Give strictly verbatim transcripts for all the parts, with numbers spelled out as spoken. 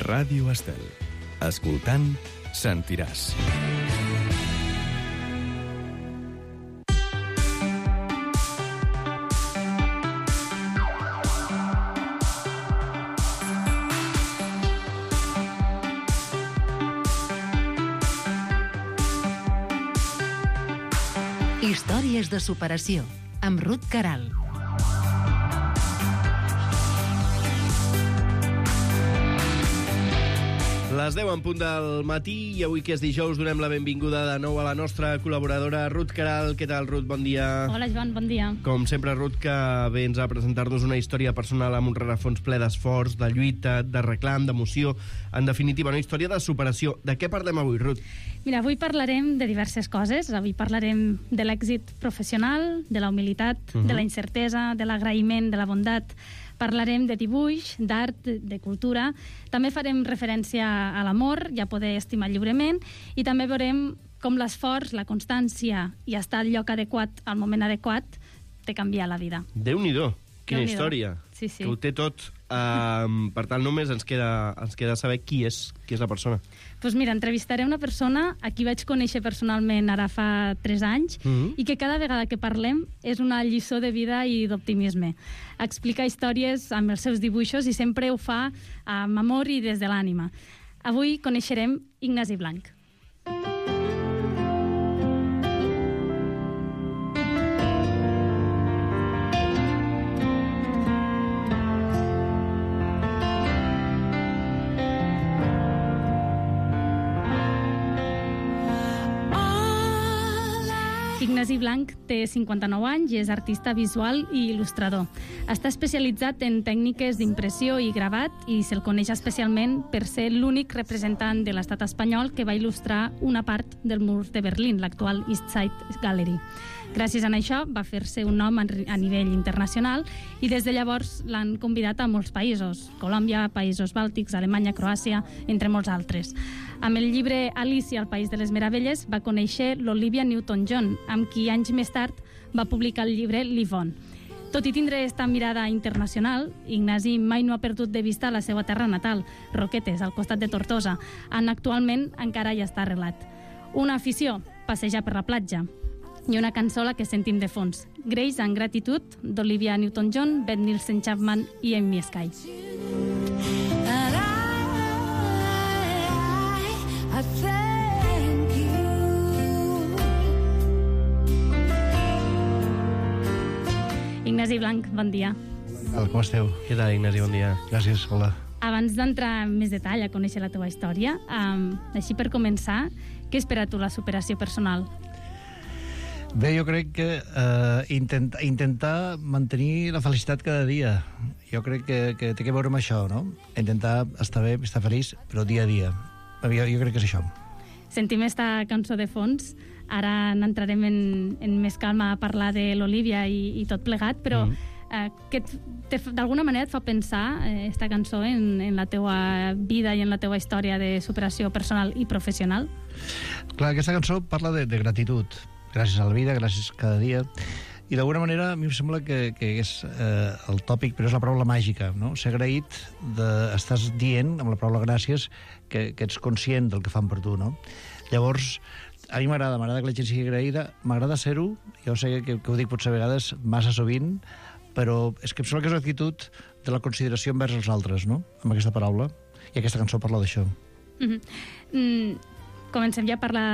Ràdio Estel. Escoltant, sentiràs. Històries de superació, amb Ruth Caral. Les deu en punt del matí i avui que és dijous donem la benvinguda de nou a la nostra col·laboradora Ruth Caral. Què tal, Ruth? Bon dia. Hola, Joan, bon dia. Com sempre, Ruth, que vens a presentar-nos una història personal amb un rerefons ple d'esforç, de lluita, de reclam, d'emoció. En definitiva, una història de superació. De què parlem avui, Ruth? Mira, avui parlarem de diverses coses. Avui parlarem de l'èxit professional, de la humilitat, uh-huh. de la incertesa, de l'agraïment, de la bondat. Parlarem de dibuix, d'art, de cultura. També farem referència a l'amor i a poder estimar lliurement. I també veurem com l'esforç, la constància i estar al lloc adequat, al moment adequat, te canvia la vida. Déu-n'hi-do, quina Déu-n'hi-do. història. Sí, sí. Que ho té tot. Uh, per tant, només ens queda, ens queda saber qui és, qui és la persona. Doncs pues mira, entrevistaré una persona a qui vaig conèixer personalment ara fa tres anys mm-hmm. i que cada vegada que parlem és una lliçó de vida i d'optimisme. Explica històries amb els seus dibuixos i sempre ho fa amb amor i des de l'ànima. Avui coneixerem Ignasi Blanch. Ignasi Blanch té cinquanta-nou anys i és artista visual i il·lustrador. Està especialitzat en tècniques d'impressió i gravat i se'l coneix especialment per ser l'únic representant de l'estat espanyol que va il·lustrar una part del mur de Berlín, l'actual East Side Gallery. Gràcies a això va fer-se un nom a nivell internacional i des de llavors l'han convidat a molts països, Colòmbia, Països Bàltics, Alemanya, Croàcia, entre molts altres. Amb el llibre Alicia al País de les Meravelles va conèixer l'Olivia Newton-John, amb qui anys més tard va publicar el llibre Livon. Tot i tindre esta mirada internacional, Ignasi mai no ha perdut de vista la seva terra natal, Roquetes, al costat de Tortosa, on actualment encara hi està arrelat. Una afició, passejar per la platja, i una cançó la que sentim de fons, Grace and Gratitude, d'Olivia Newton-John, Beth Nielsen Chapman i Amy Sky. Ignasi Blanch, bon dia. Com esteu? Què tal, Ignasi? Bon dia. Gràcies, hola. Abans d'entrar en més detall a conèixer la teva història, um, així per començar, què espera tu la superació personal? Bé, jo crec que eh, intent, intentar mantenir la felicitat cada dia. Jo crec que, que té que veure amb això, no? Intentar estar bé, estar feliç, però dia a dia. Jo, jo crec que és això. Sentim esta cançó de fons. Ara n'entrarem en, en més calma a parlar de l'Olivia i, i tot plegat, però mm. eh, que d'alguna manera et fa pensar eh, esta cançó en, en la teua vida i en la teua història de superació personal i professional? Clar, aquesta cançó parla de, de gratitud. Gràcies a la vida, gràcies cada dia. I d'alguna manera a mi em sembla que, que és eh, el tòpic, però és la paraula màgica, no? Ser agraït, de, estàs dient amb la paraula gràcies que, que ets conscient del que fan per tu, no? Llavors, a mi m'agrada, m'agrada que la gent sigui agraïda, m'agrada ser-ho, jo sé que, que ho dic potser a vegades massa sovint, però és que em sembla que és l'actitud de la consideració envers els altres, no? Amb aquesta paraula, i aquesta cançó parla d'això. Mm-hmm. Mm, comencem ja a parlar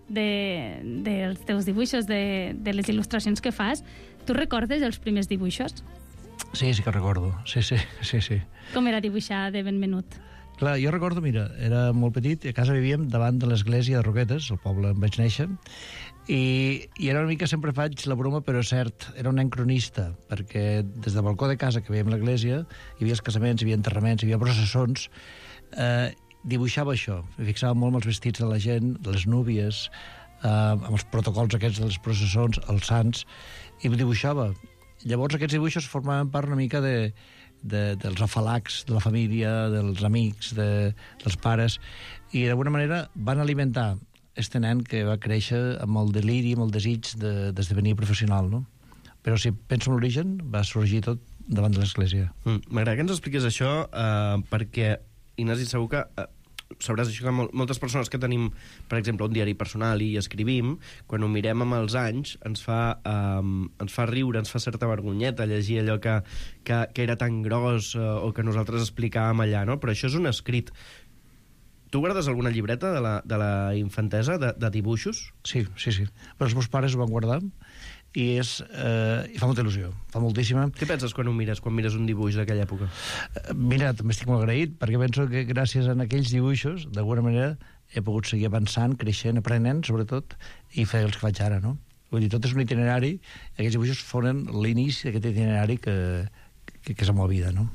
de, dels teus dibuixos, de, de les il·lustracions que fas. Tu recordes els primers dibuixos? Sí, sí que recordo, sí, sí, sí, sí. Com era dibuixar de ben menut? Clar, jo recordo, mira, era molt petit, a casa vivíem davant de l'església de Roquetes, el poble on vaig néixer, i, i era una mica, sempre faig la broma, però és cert, era un nen cronista, perquè des del balcó de casa que veiem l'església, hi havia els casaments, hi havia enterraments, hi havia processons, eh, dibuixava això, em fixava molt amb els vestits de la gent, de les núvies, eh, amb els protocols aquests de les processons, els sants, i ho dibuixava. Llavors aquests dibuixos formaven part una mica de, de, dels afalacs de la família, dels amics, de, dels pares, i d'alguna manera van alimentar este nen que va créixer amb el deliri, amb el desig de, d'esdevenir professional, no? Però si penso en l'origen, va sorgir tot davant de l'església. Mm, m'agrada que ens expliques això, eh, perquè Ignasi, segur que eh, sabràs això que mol moltes persones que tenim, per exemple, un diari personal i escrivim, quan ho mirem amb els anys, ens fa, um, ens fa riure, ens fa certa vergonyeta llegir allò que, que, que era tan gros uh, o que nosaltres explicàvem allà, no? Però això és un escrit. Tu guardes alguna llibreta de la, de la infantesa, de, de dibuixos? Sí, sí, sí. Però els meus pares ho van guardar i és, eh, i fa molta il·lusió, fa moltíssima. Què penses quan ho mires, quan mires un dibuix d'aquella època? Eh, mira, també estic molt agraït, perquè penso que gràcies a aquells dibuixos, d'alguna manera, he pogut seguir avançant, creixent, aprenent, sobretot, i fer els que faig ara, no? Vull dir, tot és un itinerari, i aquests dibuixos foren l'inici d'aquest itinerari que, que, que és la meva vida, no?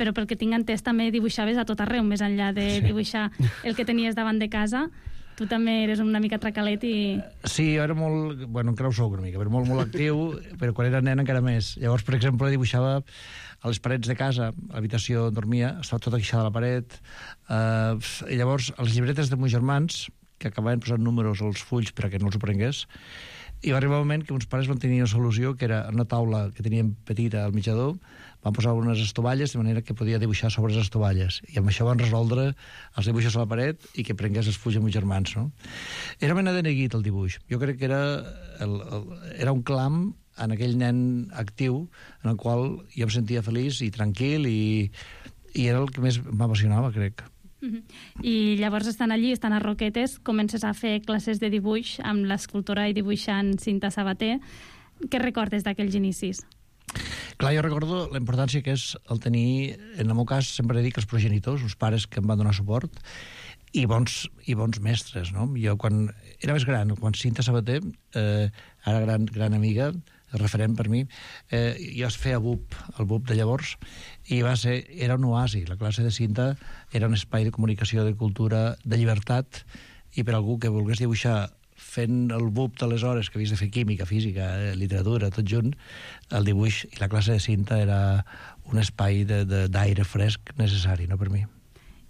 Però pel que tinc entès també dibuixaves a tot arreu, més enllà de sí. dibuixar el que tenies davant de casa. Tu també eres una mica tracalet i... Sí, jo era molt... Bueno, encara ho soc una mica, però molt, molt actiu, però quan era nen encara més. Llavors, per exemple, dibuixava a les parets de casa, a l'habitació on dormia, estava tota guixada a la paret. Uh, I llavors, a les llibretes de meus germans, que acabaven posant números als fulls perquè no els ho prengués, i va arribar un moment que uns pares van tenir una solució, que era una taula que teníem petita al menjador, van posar unes estovalles de manera que podia dibuixar sobre les estovalles. I amb això van resoldre els dibuixos a la paret i que prengués els fulls amb meus germans, no? Era mena de neguit, el dibuix. Jo crec que era, el, el, era un clam en aquell nen actiu en el qual jo em sentia feliç i tranquil i, i era el que més m'apassionava, crec. I llavors estan allí, estan a Roquetes, comences a fer classes de dibuix amb l'escultora i dibuixant Cinta Sabater. Què recordes d'aquells inicis? Clar, jo recordo la importància que és el tenir, en el meu cas sempre dic els progenitors, els pares que em van donar suport, i bons, i bons mestres, no? Jo quan era més gran, quan Cinta Sabater, eh, ara gran, gran amiga, referent per mi, eh, jo es feia B U P, el B U P de llavors, i va ser, era un oasi. La classe de Cinta era un espai de comunicació, de cultura, de llibertat, i per algú que volgués dibuixar fent el B U P d'aleshores, que havies de fer química, física, eh, literatura, tot junt, el dibuix i la classe de Cinta era un espai d'aire fresc necessari, no, per mi.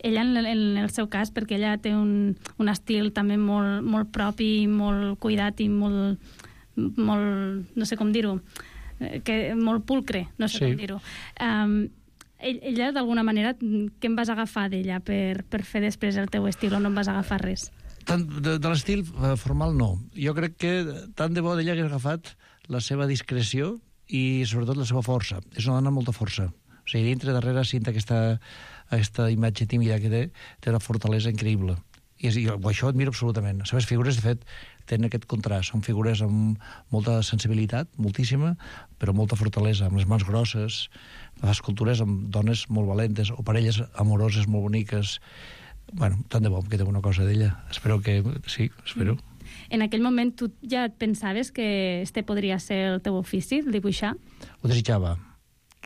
Ella, en el, en el seu cas, perquè ella té un, un estil també molt, molt propi, molt cuidat i molt, molt no sé com dir-ho, que molt pulcre, no sé sí. com dir-ho. Um, ella, d'alguna manera, què em vas agafar d'ella per, per fer després el teu estil o no em vas agafar res? Tant de, de l'estil formal, no. Jo crec que tant de bo d'ella hagués agafat la seva discreció i, sobretot, la seva força. És una dona amb molta força. O sigui, dintre, darrere, Cinta aquesta, aquesta imatge tímida que té, té una fortalesa increïble. I és, jo, això ho admiro absolutament. Les seves figures, de fet, tenen aquest contrast. Són figures amb molta sensibilitat, moltíssima, però molta fortalesa, amb les mans grosses, les escultures amb dones molt valentes, o parelles amoroses molt boniques. Bueno, tant de bo que té una cosa d'ella. Espero que... Sí, espero. En aquell moment tu ja et pensaves que este podria ser el teu ofici, el dibuixar? Ho desitjava.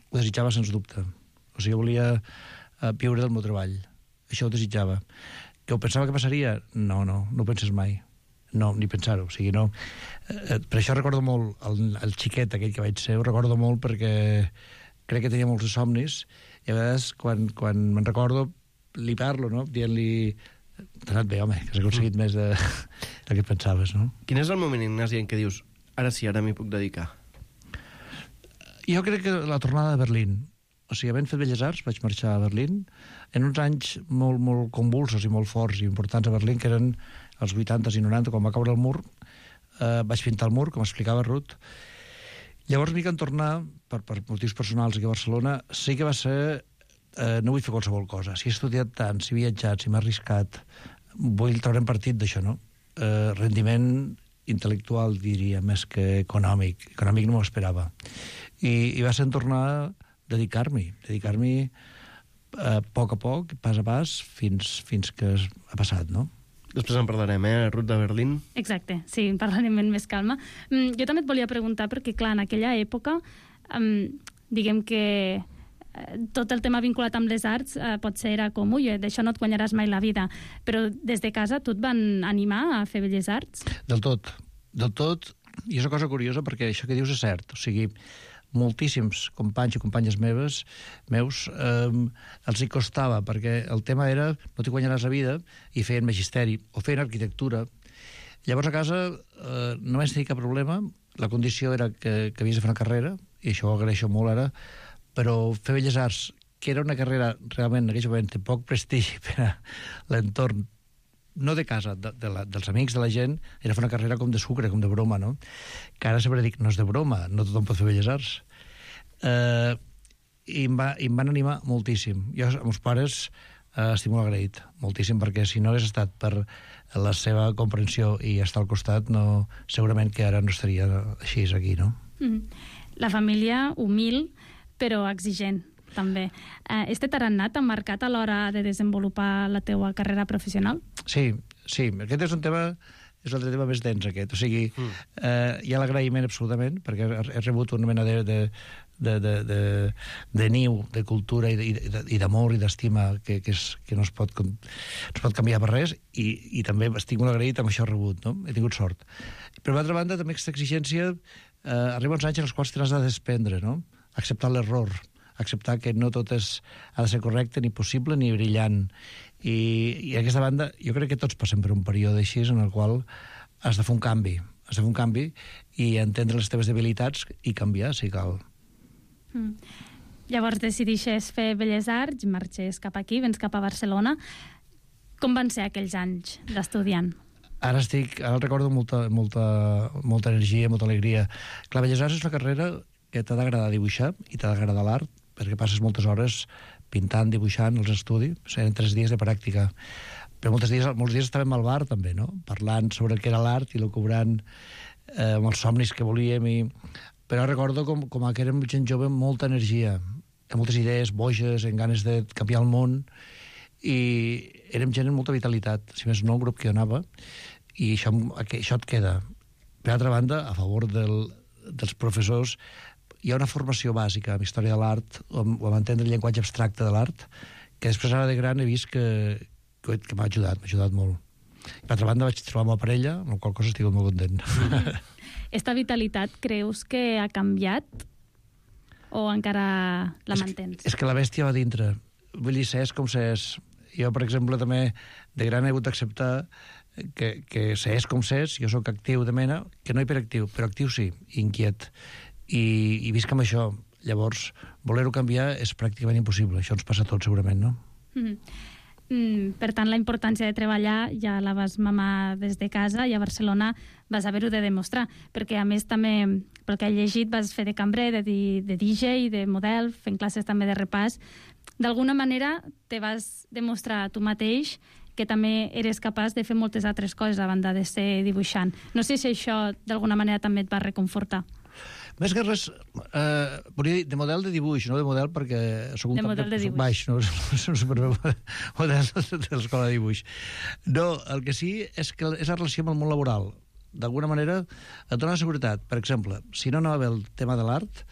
Ho desitjava, sens dubte. O sigui, jo volia uh, viure del meu treball. Això ho desitjava. Que ho pensava que passaria? No, no, no ho penses mai. No, ni pensar-ho. O sigui, no... Uh, per això recordo molt el, el xiquet aquell que vaig ser, ho recordo molt perquè crec que tenia molts de somnis i a vegades, quan, quan me'n recordo, li parlo, no? Dient-li... T'ha anat bé, home, que has aconseguit més de, del que et pensaves, no? Quin és el moment, Ignasi, en què dius ara sí, ara m'hi puc dedicar? Jo crec que la tornada de Berlín. O sigui, havent fet Belles Arts, vaig marxar a Berlín en uns anys molt, molt convulsos i molt forts i importants a Berlín, que eren els vuitantes i noranta, quan va caure el mur. Eh, vaig pintar el mur, com explicava Ruth. Llavors, m'hi can tornar, per, per motius personals aquí a Barcelona, sí que va ser... Eh, no vull fer qualsevol cosa. Si he estudiat tant, si he viatjat, si m'he arriscat, vull treure'n partit d'això, no? Eh, rendiment intel·lectual, diria, més que econòmic. Econòmic no m'ho esperava. I, i va ser en tornar a dedicar-m'hi, dedicar-m'hi eh, a poc a poc, pas a pas, fins, fins que ha passat, no? Després en parlarem, eh? Ruth de Berlín. Exacte, sí, en parlarem amb més calma. Mm, jo també et volia preguntar, perquè, clar, en aquella època, um, diguem que tot el tema vinculat amb les arts eh, potser era com, ui, d'això no et guanyaràs mai la vida, però des de casa tu et van animar a fer Belles Arts? Del tot, del tot, i és una cosa curiosa perquè això que dius és cert, o sigui, moltíssims companys i companyes meves, meus, eh, els hi costava, perquè el tema era no t'hi guanyaràs la vida, i feien magisteri, o feien arquitectura. Llavors a casa eh, no vaig tenir cap problema, la condició era que, que havies de fer una carrera, i això ho agraeixo molt ara, però fer Belles Arts, que era una carrera realment en aquell moment de poc prestigi per a l'entorn, no de casa, de, de la, dels amics, de la gent, era fer una carrera com de sucre, com de broma, no? Que ara sempre dic, no és de broma, no tothom pot fer belles arts. Eh, i, em va, I em van animar moltíssim. Jo, amb els pares, eh, estic molt agraït, moltíssim, perquè si no hagués estat per la seva comprensió i estar al costat, no, segurament que ara no estaria així aquí, no? Mm. La família humil, però exigent, també. Eh, este tarannà t'ha marcat a l'hora de desenvolupar la teua carrera professional? Sí, sí. Aquest és un tema, és l'altre tema més dens, aquest. O sigui, mm. eh, hi ha l'agraïment absolutament, perquè he rebut una mena de, de, de, de, de, de niu, de cultura i, de, i d'amor i d'estima que, que, és, que no, es pot, no es pot canviar per res, i, i també estic molt agraït amb això rebut, no? He tingut sort. Per l'altra banda, també aquesta exigència eh, arriba uns anys en els quals t'has de desprendre, no? Acceptar l'error, acceptar que no tot és, ha de ser correcte, ni possible, ni brillant. I, i aquesta banda, jo crec que tots passem per un període així en el qual has de fer un canvi, has de fer un canvi i entendre les teves debilitats i canviar, si cal. Mm. Llavors decidixes fer Belles Arts, marxes cap aquí, vens cap a Barcelona. Com van ser aquells anys d'estudiant? Ara estic, ara el recordo amb molta, molta, molta energia, molta alegria. Clar, Belles Arts és una carrera que t'ha d'agradar dibuixar i t'ha d'agradar l'art, perquè passes moltes hores pintant, dibuixant, els estudis, eren tres dies de pràctica. Però molts dies, molts dies estàvem al bar, també, no? Parlant sobre el que era l'art i cobrant eh, amb els somnis que volíem. I... Però recordo com, com que érem gent jove amb molta energia, amb moltes idees boges, amb ganes de canviar el món, i érem gent amb molta vitalitat. Si més no, el grup que jo anava, i això, això et queda. Per altra banda, a favor del, dels professors, hi ha una formació bàsica en història de l'art o en entendre el llenguatge abstracte de l'art que després ara de gran he vist que, que, que m'ha ajudat, m'ha ajudat molt. I per altra banda vaig trobar una parella, amb la qual cosa estic molt content. Esta vitalitat creus que ha canviat o encara la és mantens? Que, és que la bèstia va dintre. Vull dir, s'és com s'és. Jo, per exemple, també de gran he hagut d'acceptar que, que s'és com s'és, jo sóc actiu de mena, que no hiperactiu, però actiu sí, inquiet. I, i visc amb això. Llavors, voler-ho canviar és pràcticament impossible. Això ens passa a tots, segurament, no? Mm-hmm. Mm, per tant, la importància de treballar ja la vas mamar des de casa i a Barcelona vas haver-ho de demostrar, perquè a més també, pel que he llegit, vas fer de cambrer, de, de D J, de model, fent classes també de repàs. D'alguna manera te vas demostrar a tu mateix que també eres capaç de fer moltes altres coses a banda de ser dibuixant. No sé si això d'alguna manera també et va reconfortar. Més que res, eh, volia dir, de model de dibuix, no de model perquè soc un de model de, de dibuix. baix, no? Soc un superbé model de l'escola de dibuix. No, el que sí és que és la relació amb el món laboral. D'alguna manera et dona seguretat. Per exemple, si no anava bé el tema de l'art,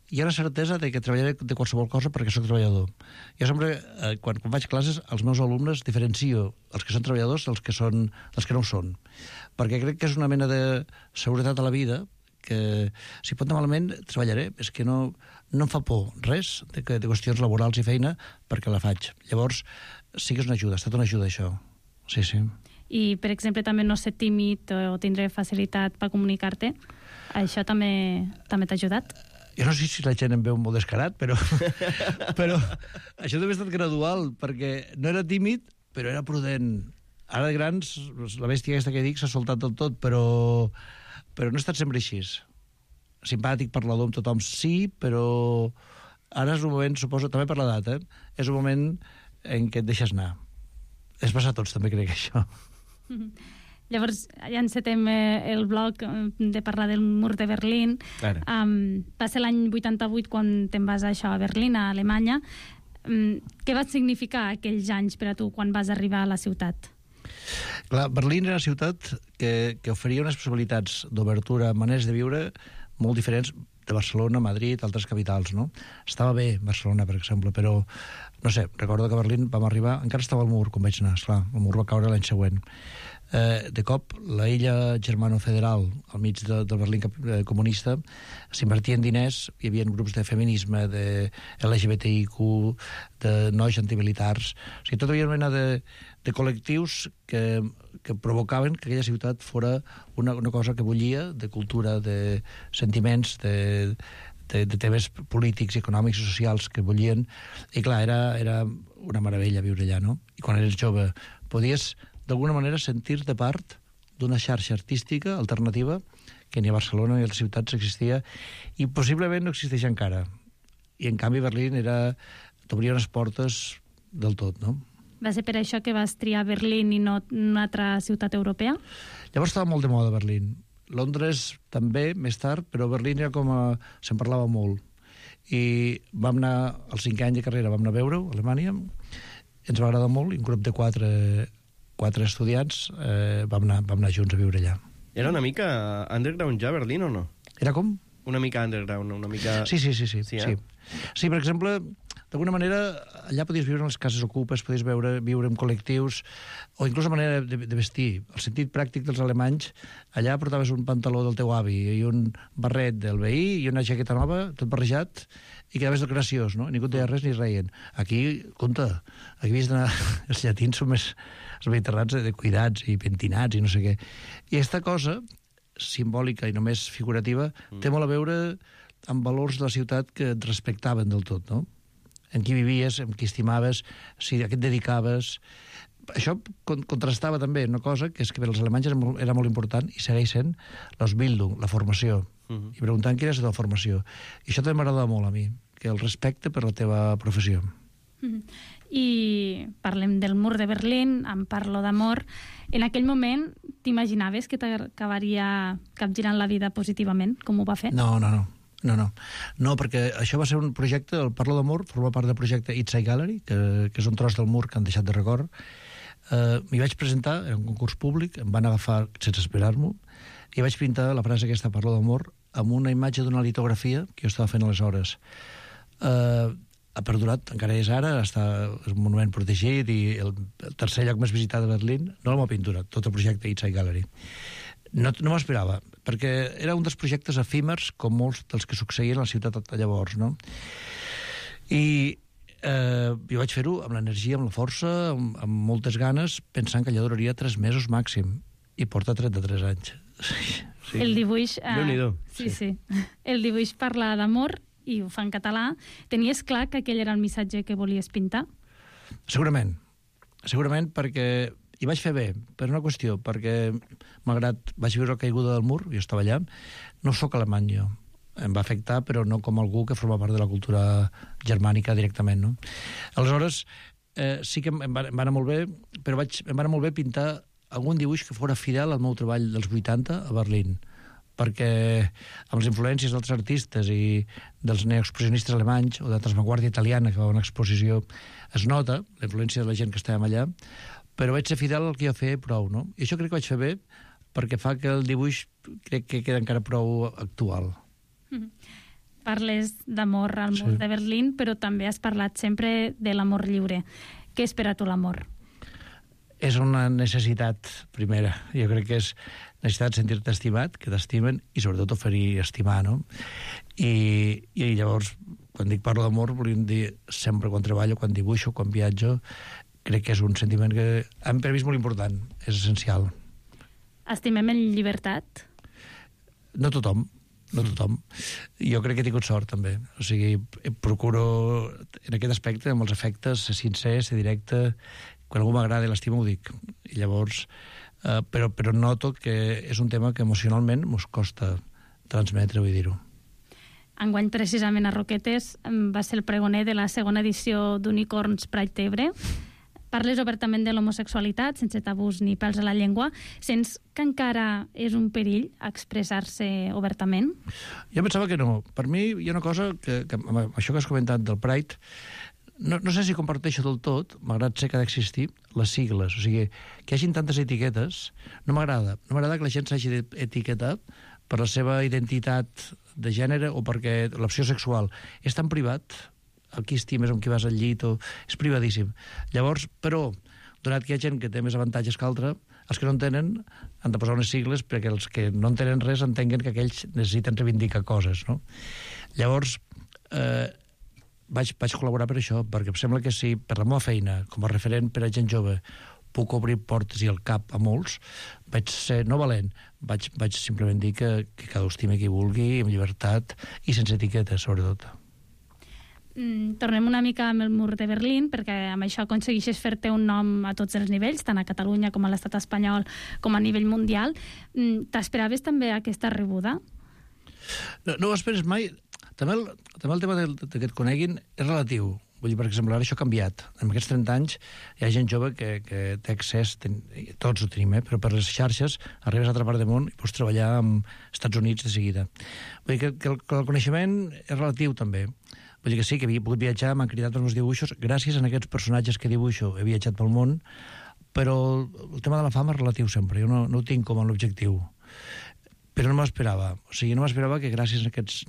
hi ha una certesa de que treballaré de qualsevol cosa perquè sóc treballador. Jo sempre, eh, quan, quan faig classes, els meus alumnes diferencio els que són treballadors dels que, són, dels que no ho són. Perquè crec que és una mena de seguretat a la vida que si pot anar malament treballaré, és que no, no em fa por res de, de qüestions laborals i feina perquè la faig. Llavors sí que és una ajuda, ha estat una ajuda això. Sí, sí. I, per exemple, també no ser tímid o tindre facilitat per comunicar-te, això també també t'ha ajudat? Jo no sé si la gent em veu molt descarat, però, però això també ha estat gradual, perquè no era tímid, però era prudent. Ara de grans, la bèstia aquesta que dic s'ha soltat del tot, però però no he estat sempre així. Simpàtic, parlador amb tothom, sí, però ara és un moment, suposo, també per l'edat, eh? És un moment en què et deixes anar. És passar a tots, també crec, això. Mm-hmm. Llavors, ja encetem eh, el bloc de parlar del mur de Berlín. Um, va ser l'any vuitanta-vuit quan te'n vas a això, a Berlín, a Alemanya. Um, què va significar aquells anys per a tu quan vas arribar a la ciutat? Clar, Berlín era una ciutat que, que oferia unes possibilitats d'obertura, maneres de viure molt diferents de Barcelona, Madrid, altres capitals, no? Estava bé Barcelona, per exemple, però, no sé, recordo que a Berlín vam arribar, encara estava al mur, com vaig anar, esclar, el mur va caure l'any següent. Eh, de cop, la illa germano-federal, al mig de, del Berlín comunista, s'invertien diners, hi havia grups de feminisme, de L G B T I Q, de nois antimilitars, o sigui, tota una mena de, de col·lectius que, que provocaven que aquella ciutat fora una, una cosa que bullia, de cultura, de sentiments, de, de, de temes polítics, econòmics i socials que vollien, i clar, era, era una meravella viure allà, no? I quan eres jove podies, d'alguna manera, sentir-te part d'una xarxa artística alternativa que ni a Barcelona ni a les ciutats existia, i possiblement no existeix encara. I, en canvi, Berlín era... t'obria unes portes del tot, no? Va ser per això que vas triar Berlín i no una altra ciutat europea? Llavors estava molt de moda Berlín. Londres també, més tard, però Berlín era com a... se'n parlava molt. I vam anar, al cinquè any de carrera, vam anar a veure-ho, a Alemanya, ens va agradar molt, i un grup de quatre, quatre estudiants eh, vam, anar, vam anar junts a viure allà. Era una mica underground ja, Berlín, o no? Era com? Una mica underground, una mica... Sí, sí, sí. Sí, sí, eh? sí. sí per exemple, d'alguna manera, allà podies viure en les cases ocupes, podies veure, viure en col·lectius, o inclús la manera de, de vestir. El sentit pràctic dels alemanys, allà portaves un pantaló del teu avi i un barret del veí i una jaqueta nova, tot barrejat, i quedaves graciós, no? Ningú et deia res ni reien. Aquí, compte, aquí havies d'anar... Els llatins són més... Els mediterrans de cuidats i pentinats i no sé què. I aquesta cosa, simbòlica i només figurativa, mm. té molt a veure amb valors de la ciutat que et respectaven del tot, no? En qui vivies, en qui estimaves, si a què et dedicaves... Això contrastava també una cosa, que és que per als alemanys era molt, era molt important, i segueix sent l'Ausbildung, la formació. Mm-hmm. I preguntant quina és la teva formació. I això també m'agrada molt a mi, que el respecte per la teva professió. Mm-hmm. I parlem del mur de Berlín, en parlo d'amor. En aquell moment, t'imaginaves que t'acabaria capgirant la vida positivament, com ho va fer? No, no, no. No, no. No, perquè això va ser un projecte, el Parlo d'Amor, forma part del projecte Inside Gallery, que, que és un tros del mur que han deixat de record. Uh, m'hi vaig presentar, era un concurs públic, em van agafar sense esperar-m'ho, i vaig pintar la frase aquesta, Parlo d'Amor, amb una imatge d'una litografia que jo estava fent aleshores. Uh, ha perdurat, encara és ara, està, és un monument protegit i el, el tercer lloc més visitat de Berlín, no la meva pintura, tot el projecte Inside Gallery. No, no m'esperava, perquè era un dels projectes efímers, com molts dels que succeïen a la ciutat llavors, no? I eh, jo vaig fer-ho amb l'energia, amb la força, amb, amb moltes ganes, pensant que allò duraria tres mesos màxim, i porta trenta-tres anys. Sí, sí. El dibuix... Eh, Déu-n'hi-do. Sí, sí. El dibuix parla d'amor, i ho fa en català. Tenies clar que aquell era el missatge que volies pintar? Segurament. Segurament perquè... I vaig fer bé, per una qüestió, perquè malgrat vaig viure la caiguda del mur, jo estava allà, no sóc alemany jo. Em va afectar, però no com algú que forma part de la cultura germànica directament, no? Aleshores, eh, sí que em va, em va anar molt bé, però vaig, em va anar molt bé pintar algun dibuix que fora fidel al meu treball dels vuitanta a Berlín, perquè amb les influències d'altres artistes i dels neoexpressionistes alemanys o de l'avantguàrdia italiana que va a una exposició es nota la influència de la gent que estàvem allà, però vaig ser fidel al que jo feia prou, no? I això crec que vaig fer bé, perquè fa que el dibuix crec que queda encara prou actual. Mm-hmm. Parles d'amor al mur Sí. de Berlín, però també has parlat sempre de l'amor lliure. Què és per a tu l'amor? És una necessitat primera. Jo crec que és necessitat de sentir-te estimat, que t'estimen, i sobretot oferir estimar, no? I, i llavors, quan dic parlo d'amor, volíem dir sempre quan treballo, quan dibuixo, quan viatjo, crec que és un sentiment que per mi és molt important, és essencial. Estimem en llibertat? No tothom, no tothom. Jo crec que he tingut sort, també. O sigui, procuro, en aquest aspecte, amb els afectes, ser sincer, ser directe. Quan algú m'agrada i l'estima ho dic. I llavors, eh, però, però noto que és un tema que emocionalment mos costa transmetre, vull dir-ho. Enguany, precisament, a Roquetes va ser el pregoner de la segona edició d'Unicorns Pride Tebre. Parles obertament de l'homosexualitat, sense tabús ni pèls a la llengua. Sents que encara és un perill expressar-se obertament? Jo pensava que no. Per mi hi ha una cosa que, que amb això que has comentat del Pride, no, no sé si comparteixo del tot, malgrat ser que ha d'existir, les sigles. O sigui, que hi hagin tantes etiquetes, no m'agrada. No m'agrada que la gent s'hagi d'etiquetar per la seva identitat de gènere o perquè l'opció sexual és tan privat, el qui estimes, amb qui vas al llit, o... és privadíssim. Llavors, però, donat que hi ha gent que té més avantatges que altra, els que no en tenen han de posar unes sigles perquè els que no en tenen res entenguen que aquells necessiten reivindicar coses, no? Llavors, eh, vaig, vaig col·laborar per això, perquè em sembla que si per la meva feina, com a referent per a gent jove, puc obrir portes i el cap a molts, vaig ser no valent, vaig, vaig simplement dir que, que cada estime qui vulgui, amb llibertat i sense etiquetes, sobretot. Mm, tornem una mica amb el mur de Berlín, perquè amb això aconsegueixes fer-te un nom a tots els nivells, tant a Catalunya com a l'estat espanyol, com a nivell mundial. Mm, t'esperaves també aquesta rebuda? No, no ho esperes mai. També el, també el tema de, de que et coneguin és relatiu. Vull dir, per exemple, ara això ha canviat. En aquests trenta anys hi ha gent jove que, que té accés, ten, tots ho tenim, eh? Però per les xarxes arribes a altra part del món i pots treballar amb Estats Units de seguida. Vull dir que, que, el, que el coneixement és relatiu també. Vull dir que sí, que havia pogut viatjar, m'han cridat els meus dibuixos, gràcies a aquests personatges que dibuixo he viatjat pel món, però el tema de la fama és relatiu sempre, jo no, no ho tinc com a l'objectiu. Però no m'esperava. O sigui, no m'esperava que gràcies a aquests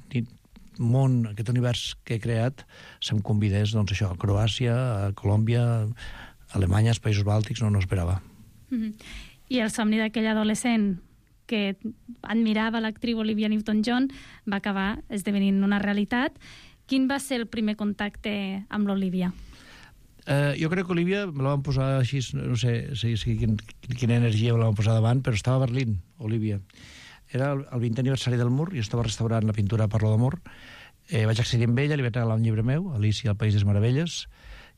món, aquest univers que he creat, se'm convidés, doncs això, a Croàcia, a Colòmbia, a Alemanya, als Països Bàltics, no, no esperava. Mm-hmm. I el somni d'aquell adolescent que admirava l'actriu Olivia Newton-John va acabar esdevenint una realitat. Quin va ser el primer contacte amb l'Olivia? Uh, jo crec que Olivia me la van posar així, no sé si, si, quin, quina energia me la van posar davant, però estava a Berlín, Olivia. Era el, el vintè aniversari del Mur, i estava restaurant la pintura Parlo d'amor. Eh, vaig accedir amb ella, li vaig regalar un llibre meu, Alicia al País de les Meravelles,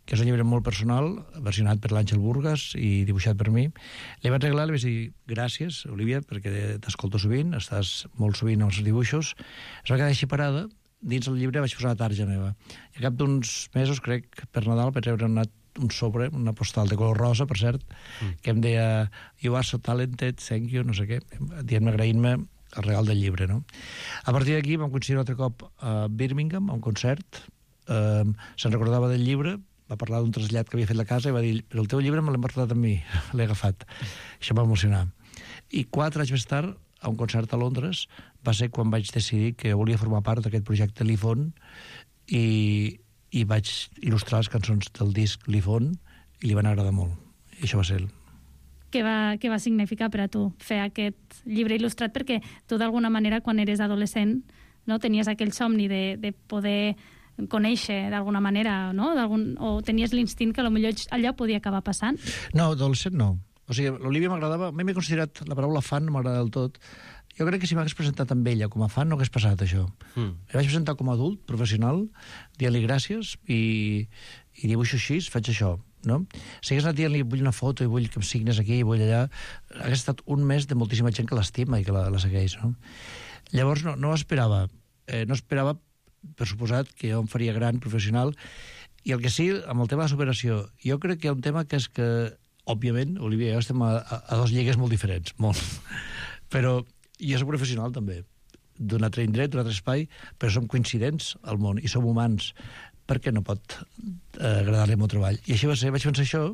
que és un llibre molt personal, versionat per l'Àngel Burgas i dibuixat per mi. Li vaig regalar, li vaig dir gràcies, Olivia, perquè t'escolto sovint, estàs molt sovint als dibuixos. Es va quedar així parada, dins el llibre vaig posar la tarja meva. I a cap d'uns mesos, crec, per Nadal, vaig rebre una, un sobre, una postal de color rosa, per cert, mm. que em deia "You are so talented, thank you", no sé què, dient-me, agraint-me el regal del llibre, no? A partir d'aquí vam coincidir un altre cop a Birmingham, a un concert, eh, se'n recordava del llibre, va parlar d'un trasllat que havia fet la casa i va dir, però el teu llibre me l'hem portat amb mi, l'he agafat. Això va emocionar. I quatre anys més tard, a un concert a Londres, va ser quan vaig decidir que volia formar part d'aquest projecte Lifon i, i vaig il·lustrar les cançons del disc Lifon i li van agradar molt. I això va ser el... Què va, què va significar per a tu fer aquest llibre il·lustrat? Perquè tu, d'alguna manera, quan eres adolescent, no, tenies aquell somni de, de poder conèixer d'alguna manera, no? O tenies l'instint que potser allò podia acabar passant? No, adolescent no. O sigui, l'Olivia m'agradava, a mi m'he considerat la paraula fan, no m'agrada del tot. Jo crec que si m'hagués presentat amb ella com a fan no hagués passat això. Mm. Em vaig presentar com a adult, professional, dient-li gràcies i, i dibuixo així, faig això, no? Si hagués anat dient-li vull una foto i vull que em signes aquí i vull allà, hagués estat un mes de moltíssima gent que l'estima i que la, la segueix, no? Llavors no, no esperava, eh, no esperava, per suposat, que jo em faria gran, professional, i el que sí, amb el tema de la superació, jo crec que hi ha un tema que és que òbviament, Olivia i jo estem a, a, a dos lligues molt diferents, molt. Però jo soc professional també, d'un altre indret, d'un altre espai, però som coincidents al món i som humans. Per què no pot eh, agradar-li el meu treball? I així va ser, vaig pensar això,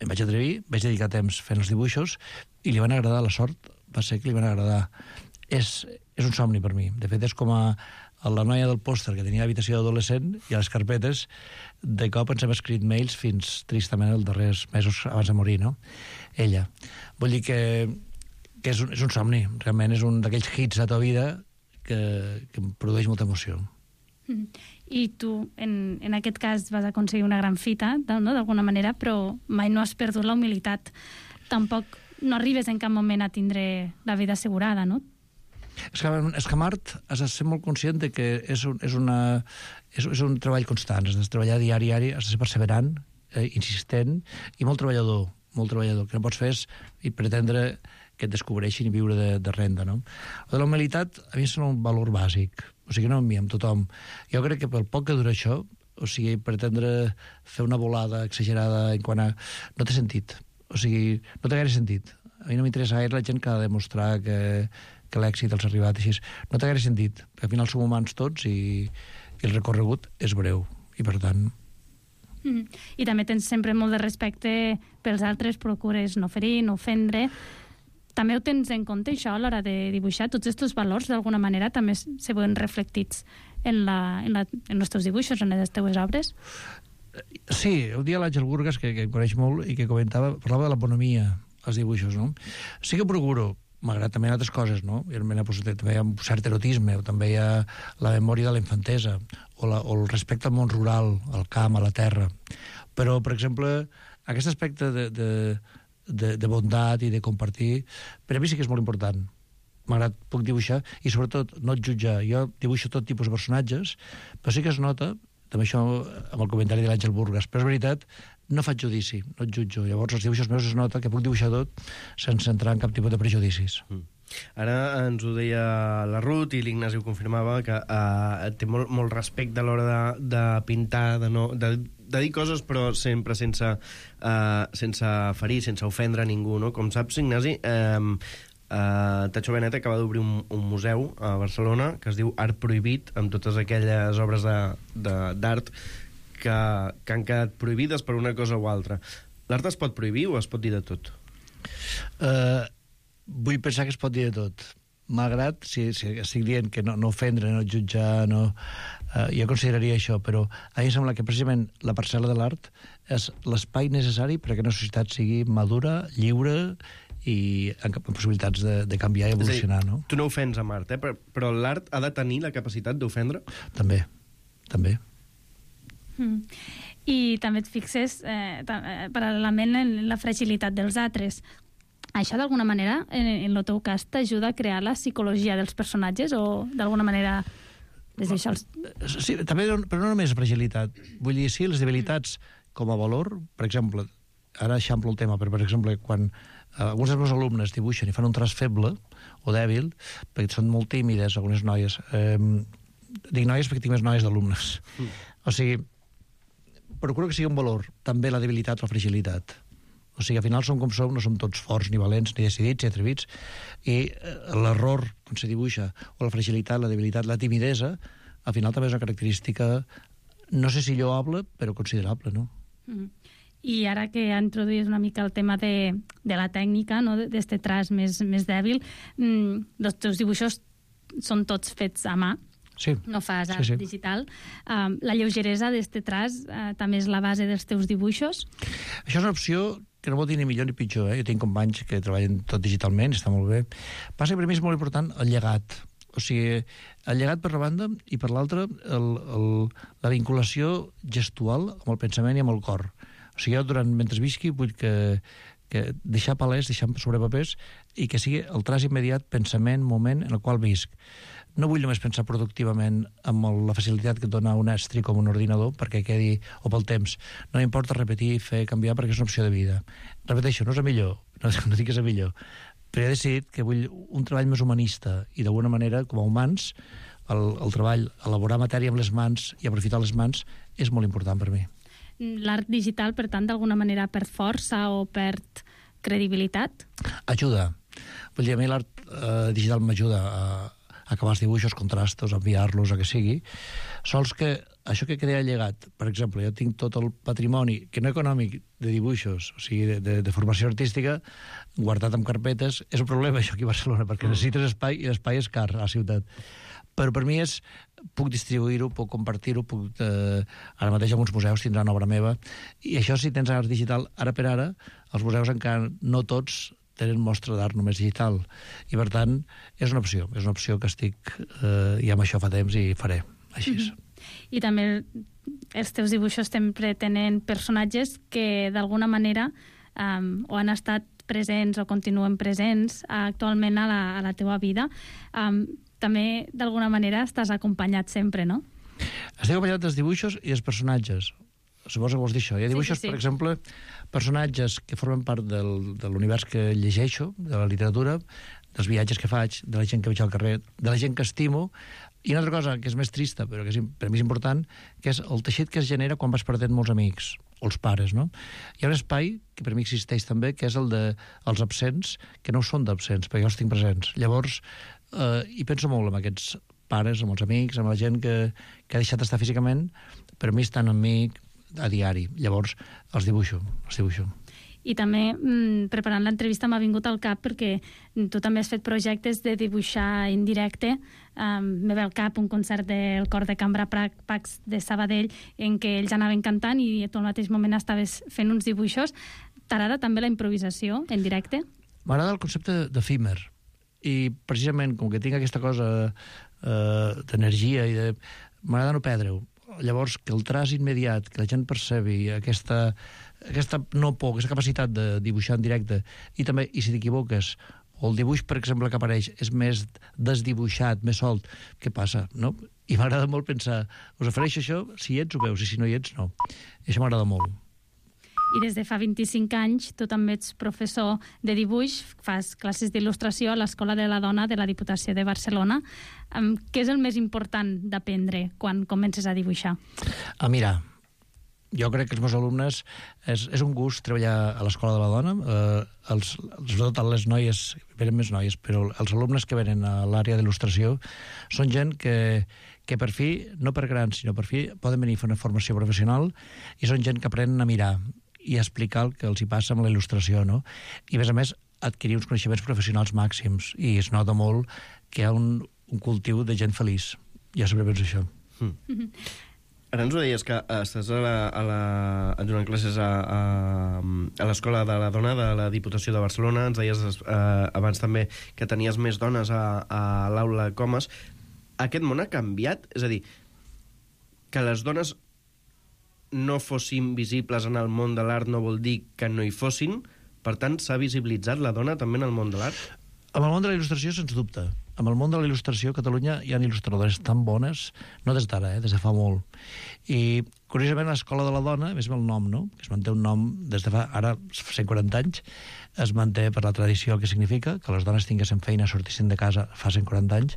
em vaig atrevir, vaig dedicar temps fent els dibuixos i li van agradar, la sort va ser que li van agradar. És, és un somni per mi. De fet, és com a, a la noia del pòster que tenia habitació d'adolescent i a les carpetes, de cop ens hem escrit mails fins, tristament, els darrers mesos abans de morir, no? Ella. Vull dir que, que és, un, és un somni, realment és un d'aquells hits de la vida que, que em produeix molta emoció. Mm. I tu, en, en aquest cas, vas aconseguir una gran fita, no? D'alguna manera, però mai no has perdut la humilitat. Tampoc no arribes en cap moment a tindre la vida assegurada, no? És que, és que Mart, has de ser molt conscient de que és un, és una, és, és un treball constant, has de treballar diari, diari, has de ser perseverant, eh, insistent i molt treballador, molt treballador. Que no pots fer és i pretendre que et descobreixin i viure de, de renda, no? O de la humilitat, a mi és un valor bàsic, o sigui, no amb mi, amb tothom. Jo crec que pel poc que dura això, o sigui, pretendre fer una volada exagerada en quant a... no té sentit, o sigui, no té gaire sentit. A mi no m'interessa gaire la gent que ha de demostrar que que l'èxit els ha arribat així. No té gaire sentit, perquè al final som humans tots i, i el recorregut és breu, i per tant... Mm. I també tens sempre molt de respecte pels altres, procures no ferir, no ofendre. També ho tens en compte, això, a l'hora de dibuixar? Tots aquests valors, d'alguna manera, també se veuen reflectits en, la, en, la, en els teus dibuixos, en les teves obres? Sí, un dia l'Àngel Burgas, que, que em coneix molt i que comentava, parlava de l'economia als dibuixos, no? Sí que procuro, malgrat també altres coses, no? I també hi ha un cert erotisme, o també hi ha la memòria de la infantesa, o, la, o el respecte al món rural, al camp, a la terra. Però, per exemple, aquest aspecte de, de, de, de bondat i de compartir, per a mi sí que és molt important. Malgrat puc dibuixar, i sobretot no et jutjar. Jo dibuixo tot tipus de personatges, però sí que es nota, també això amb el comentari de l'Àngel Burgas, però és veritat, no faig judici, no et jutjo. Llavors, els dibuixos meus es nota que puc dibuixar tot sense entrar en cap tipus de prejudicis. Mm. Ara ens ho deia la Ruth i l'Ignasi ho confirmava, que uh, té molt, molt respecte a l'hora de, de pintar, de, no, de, de dir coses, però sempre sense, uh, sense ferir, sense ofendre ningú, no? Com saps, Ignasi, um, Uh, Tacho Benet acaba d'obrir un, un museu a Barcelona que es diu Art Prohibit, amb totes aquelles obres d'art que, que han quedat prohibides per una cosa o altra. L'art es pot prohibir o es pot dir de tot? Uh, vull pensar que es pot dir de tot. Malgrat, si, si estic dient que no, no ofendre, no jutjar, no, uh, jo consideraria això, però a mi em sembla que precisament la parcel·la de l'art és l'espai necessari perquè una societat sigui madura, lliure i amb possibilitats de, de canviar i evolucionar, no? Tu no ofens amb art, eh? però, però l'art ha de tenir la capacitat d'ofendre? També, també. Mm. I també et fixes eh, paral·lelament en la fragilitat dels altres. Això, d'alguna manera, en, en el teu cas, t'ajuda a crear la psicologia dels personatges o, d'alguna manera, des d'això... Els... Sí, també, però no només fragilitat. Vull dir, sí, les debilitats com a valor, per exemple, ara eixamplo el tema, però, per exemple, quan Uh, alguns dels meus alumnes dibuixen i fan un traç feble o dèbil, perquè són molt tímides, algunes noies. Um, dic noies perquè tinc més noies d'alumnes. Mm. O sigui, procuro que sigui un valor, també la debilitat o la fragilitat. O sigui, al final som com som, no som tots forts, ni valents, ni decidits, ni atrevits, i uh, l'error, quan se dibuixa, o la fragilitat, la debilitat, la timidesa, al final també és una característica, no sé si lloable, però considerable, no? Mm. I ara que ha introduït una mica el tema de, de la tècnica, no? d'este traç més, més dèbil, mmm, els teus dibuixos són tots fets a mà, sí. No fas art sí, sí. digital. Um, la lleugeresa d'este traç uh, també és la base dels teus dibuixos? Això és una opció que no vol dir ni millor ni pitjor. Eh? Jo tinc companys que treballen tot digitalment, està molt bé. Passa que per mi és molt important el llegat. O sigui, el llegat per la banda i per l'altra la vinculació gestual amb el pensament i amb el cor. O sigui, jo, durant, mentre visqui, vull que, que deixar palès, deixar sobre papers, i que sigui el traç immediat, pensament, moment en el qual visc. No vull només pensar productivament amb la facilitat que et dona un estri com un ordinador, perquè quedi, o pel temps. No m'importa repetir, fer, canviar, perquè és una opció de vida. Repeteixo, no és el millor, no, no dic que és el millor, però he decidit que vull un treball més humanista, i d'alguna manera, com a humans, el, el treball, elaborar matèria amb les mans i aprofitar les mans, és molt important per mi. L'art digital, per tant, d'alguna manera perd força o perd credibilitat? Ajuda. Vull dir, a mi l'art eh, digital m'ajuda a, a acabar els dibuixos, contrastos, a enviar-los, a que sigui. Sols que això que crea llegat, per exemple, jo tinc tot el patrimoni, que no econòmic, de dibuixos, o sigui, de, de, de formació artística, guardat en carpetes. És un problema, això, aquí a Barcelona, perquè necessites espai, i l'espai és car a la ciutat. Però per mi és, puc distribuir-ho, puc compartir-ho, puc, eh, ara mateix alguns museus tindran obra meva, i això, si tens art digital, ara per ara, els museus encara no tots tenen mostra d'art només digital, i per tant és una opció, és una opció que estic eh, i amb això fa temps i faré, així és. Mm-hmm. I també els teus dibuixos sempre tenen personatges que d'alguna manera um, o han estat presents o continuen presents actualment a la, a la teua vida. Um, també d'alguna manera estàs acompanyat sempre, no? Estic acompanyat dels dibuixos i dels personatges. Suposo que vols dir això. Hi ha dibuixos, sí, sí, sí. Per exemple, personatges que formen part del, de l'univers que llegeixo, de la literatura, dels viatges que faig, de la gent que veig al carrer, de la gent que estimo, i una altra cosa que és més trista, però que és, per mi és important, que és el teixit que es genera quan vas perdent molts amics, o els pares, no? Hi ha un espai, que per mi existeix també, que és el dels absents, que no són d'absents, perquè jo els tinc presents. Llavors, eh, hi penso molt amb aquests pares, amb els amics, amb la gent que, que ha deixat d'estar físicament, però a mi estan amb mi a diari. Llavors, els dibuixo, els dibuixo. I també, mmm, preparant l'entrevista, m'ha vingut al cap perquè tu també has fet projectes de dibuixar en directe. Um, me ve al cap un concert del cor de cambra Pax de Sabadell en què ells anaven cantant i tu al mateix moment estaves fent uns dibuixos. T'agrada també la improvisació en directe? M'agrada el concepte d'efímer. I precisament, com que tinc aquesta cosa eh, d'energia i de... m'agrada no perdre-ho. Llavors, que el traç immediat, que la gent percebi aquesta aquesta no por, aquesta capacitat de dibuixar en directe, i també, i si t'equivoques, o el dibuix, per exemple, que apareix és més desdibuixat, més solt, què passa, no? I m'agrada molt pensar, us ofereixo això, si hi ets ho veus, i si no hi ets, no. I això m'agrada molt. I des de fa vint-i-cinc anys tu també ets professor de dibuix, fas classes d'il·lustració a l'Escola de la Dona de la Diputació de Barcelona. Què és el més important d'aprendre quan comences a dibuixar? A mirar. Jo crec que els meus alumnes és, és un gust treballar a l'Escola de la Dona. Eh, els, sobretot les noies, venen més noies, però els alumnes que venen a l'àrea d'il·lustració són gent que, que per fi, no per grans, sinó per fi, poden venir a fer una formació professional i són gent que aprenen a mirar i a explicar el que els hi passa amb la il·lustració, no? I, a més a més, adquirir uns coneixements professionals màxims. I es nota molt que hi ha un, un cultiu de gent feliç. Jo sempre penso això. Mm. Mm-hmm. Ara ens ho deies, que estàs a la, a la, donant classes a, a, a l'Escola de la Dona de la Diputació de Barcelona. Ens deies eh, abans també que tenies més dones a, a l'aula Comas. Aquest món ha canviat? És a dir, que les dones no fossin visibles en el món de l'art no vol dir que no hi fossin. Per tant, s'ha visibilitzat la dona també en el món de l'art? En el món de la il·lustració, sens dubte. En el món de la il·lustració, a Catalunya hi ha il·lustradores tan bones, no des d'ara, eh, des de fa molt. I, curiosament, l'Escola de la Dona, més el nom, no?, que es manté un nom des de fa, ara, cent quaranta anys, es manté per la tradició, el que significa que les dones tinguessin feina, sortissin de casa fa cent quaranta anys.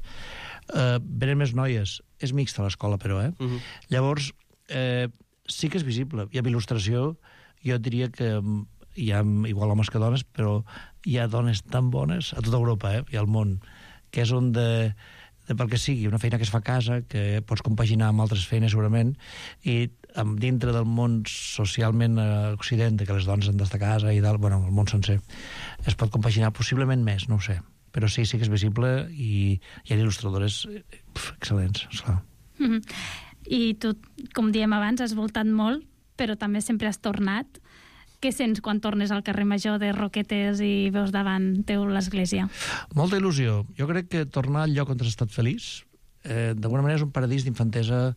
Eh, venen més noies. És mixta l'escola, però, eh? Uh-huh. Llavors, eh, sí que és visible. I amb il·lustració jo diria que hi ha igual homes que dones, però hi ha dones tan bones a tota Europa, eh? I al món, que és on de, de pel que sigui, una feina que es fa a casa, que pots compaginar amb altres feines segurament, i amb, dintre del món socialment a Occident, que les dones han d'estar a casa i tal, bueno, el món sencer, es pot compaginar possiblement més, no ho sé. Però sí, sí que és visible i hi ha il·lustradores pf, excel·lents, esclar. Mm-hmm. I tu, com diem abans, has voltat molt, però també sempre has tornat. Què sents quan tornes al carrer Major de Roquetes i veus davant teu l'església? Molta il·lusió. Jo crec que tornar al lloc on has estat feliç, eh, d'alguna manera és un paradís d'infantesa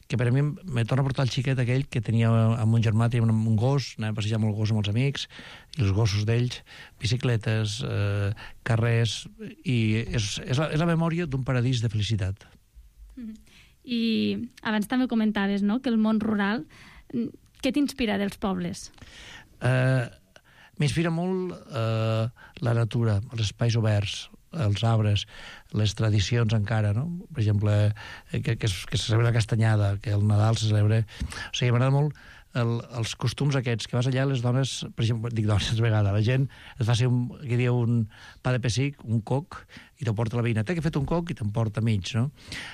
que per a mi me torna a portar el xiquet aquell que tenia amb un germà, tenia un, un gos, anava a passejar amb el gos amb els amics, i els gossos d'ells, bicicletes, eh, carrers, i és, és, la, és la memòria d'un paradís de felicitat. Mm-hmm. I abans també comentaves, no?, que el món rural, què t'inspira dels pobles? Uh, M'inspira molt uh, la natura, els espais oberts, els arbres, les tradicions encara, no? Per exemple, que, que, es, que se celebra la castanyada, que el Nadal se celebra... O sigui, m'agrada molt el, els costums aquests, que vas allà, les dones, per exemple, dic dones, de vegada, la gent et fa ser un, que diu un pa de pessic, un coc, i te'l porta la veïna. Té que fet un coc i te'n porta mig, no?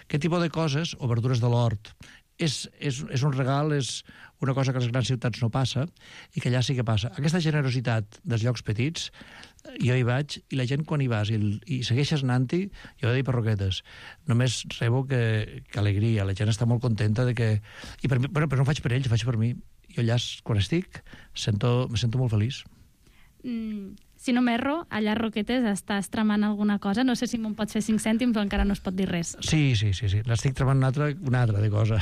Aquest tipus de coses, o verdures de l'hort, és, és, és un regal, és una cosa que a les grans ciutats no passa i que allà sí que passa. Aquesta generositat dels llocs petits, jo hi vaig, i la gent quan hi vas i, i segueixes anant-hi, jo he de dir per Roquetes, només rebo que, que alegria, la gent està molt contenta de que... I per mi, bueno, però no ho faig per ells, ho faig per mi. Jo allà, quan estic, sento, me sento molt feliç. Mm, si no m'erro, allà a Roquetes estàs tramant alguna cosa. No sé si me'n pots fer cinc cèntims, però encara no es pot dir res. Sí, sí, sí, sí. L'estic tramant una altra, una altra de cosa.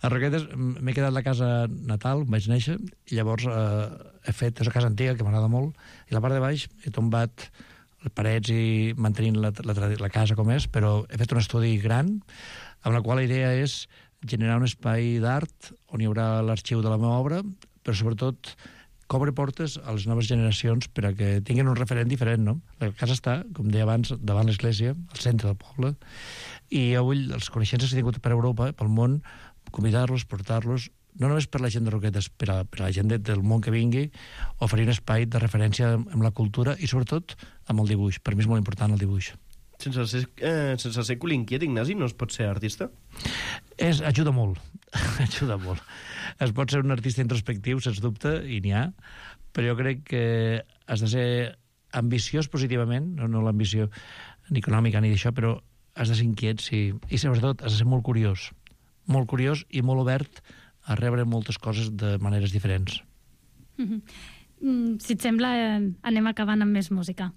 A Roquetes m'he quedat a la casa natal, on vaig néixer, i llavors eh, he fet, és una casa antiga que m'agrada molt, i la part de baix he tombat les parets i mantenint la, la, la casa com és, però he fet un estudi gran, amb la qual la idea és generar un espai d'art on hi haurà l'arxiu de la meva obra, però sobretot que obre portes a les noves generacions per a que tinguin un referent diferent, no? La casa està, com deia abans, davant l'església, al centre del poble, i jo vull, els coneixences que he tingut per Europa, pel món, convidar-los, portar-los, no només per la gent de Roquetes, per a, per a la gent de, del món que vingui, oferir un espai de referència amb la cultura i, sobretot, amb el dibuix. Per mi és molt important el dibuix. Sense ser, eh, sense ser colinquiet, Ignasi, no es pot ser artista? És, ajuda molt, ajuda molt. Es pot ser un artista introspectiu, sens dubte, i n'hi ha, però jo crec que has de ser ambiciós positivament, no, no l'ambició ni econòmica ni d'això, però has de ser inquiet, sí, i sobretot has de ser molt curiós, molt curiós i molt obert a rebre moltes coses de maneres diferents. Mm-hmm. Si et sembla, anem acabant amb més música.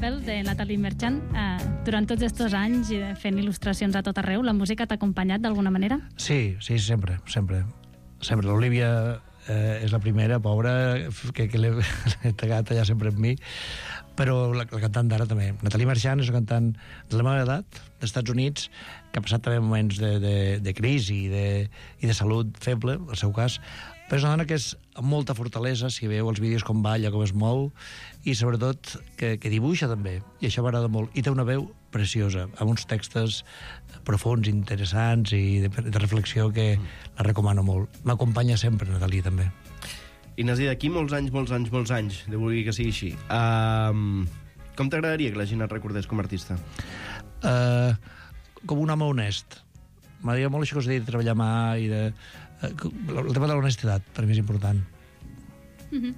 papel de Nathalie Merchant. Eh, durant tots aquests anys eh, fent il·lustracions a tot arreu, la música t'ha acompanyat d'alguna manera? Sí, sí, sempre, sempre. Sempre. L'Olivia eh, és la primera, pobra, que, que l'he tagat allà sempre amb mi, però la, la cantant d'ara també. Nathalie Merchant és una cantant de la meva edat, dels Estats Units, que ha passat també moments de, de, de crisi i de, i de salut feble, en el seu cas, però és una dona que és amb molta fortalesa, si veu els vídeos com balla, com es mou, i sobretot que, que dibuixa també, i això m'agrada molt. I té una veu preciosa, amb uns textos profuns, interessants i de, de reflexió que la recomano molt. M'acompanya sempre, Nathalie, també. Ignasi, d'aquí molts anys, molts anys, molts anys, de vulgui que sigui així, um, com t'agradaria que la gent et recordés com a artista? Uh, com un home honest. M'agradaria molt això que us he dit, de treballar a mà i de... El tema de l'honestitat, per mi és important. Mm-hmm.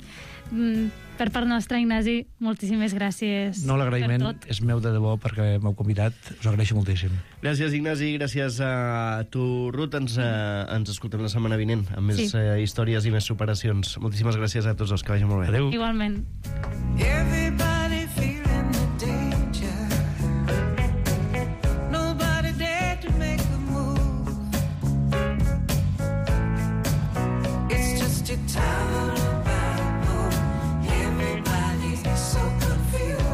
mm, per part nostra, Ignasi, moltíssimes gràcies. No, l'agraïment és meu de debò perquè m'heu convidat. Us agraeixo moltíssim. Gràcies, Ignasi. Gràcies a tu, Ruth. Ens, eh, ens escoltem la setmana vinent amb més sí. eh, històries i més superacions. Moltíssimes gràcies a tots els que vagi molt bé. Adéu. Igualment. Everybody feeling the danger. Nobody dare to make a move. It's just a town about home. Everybody's so confused.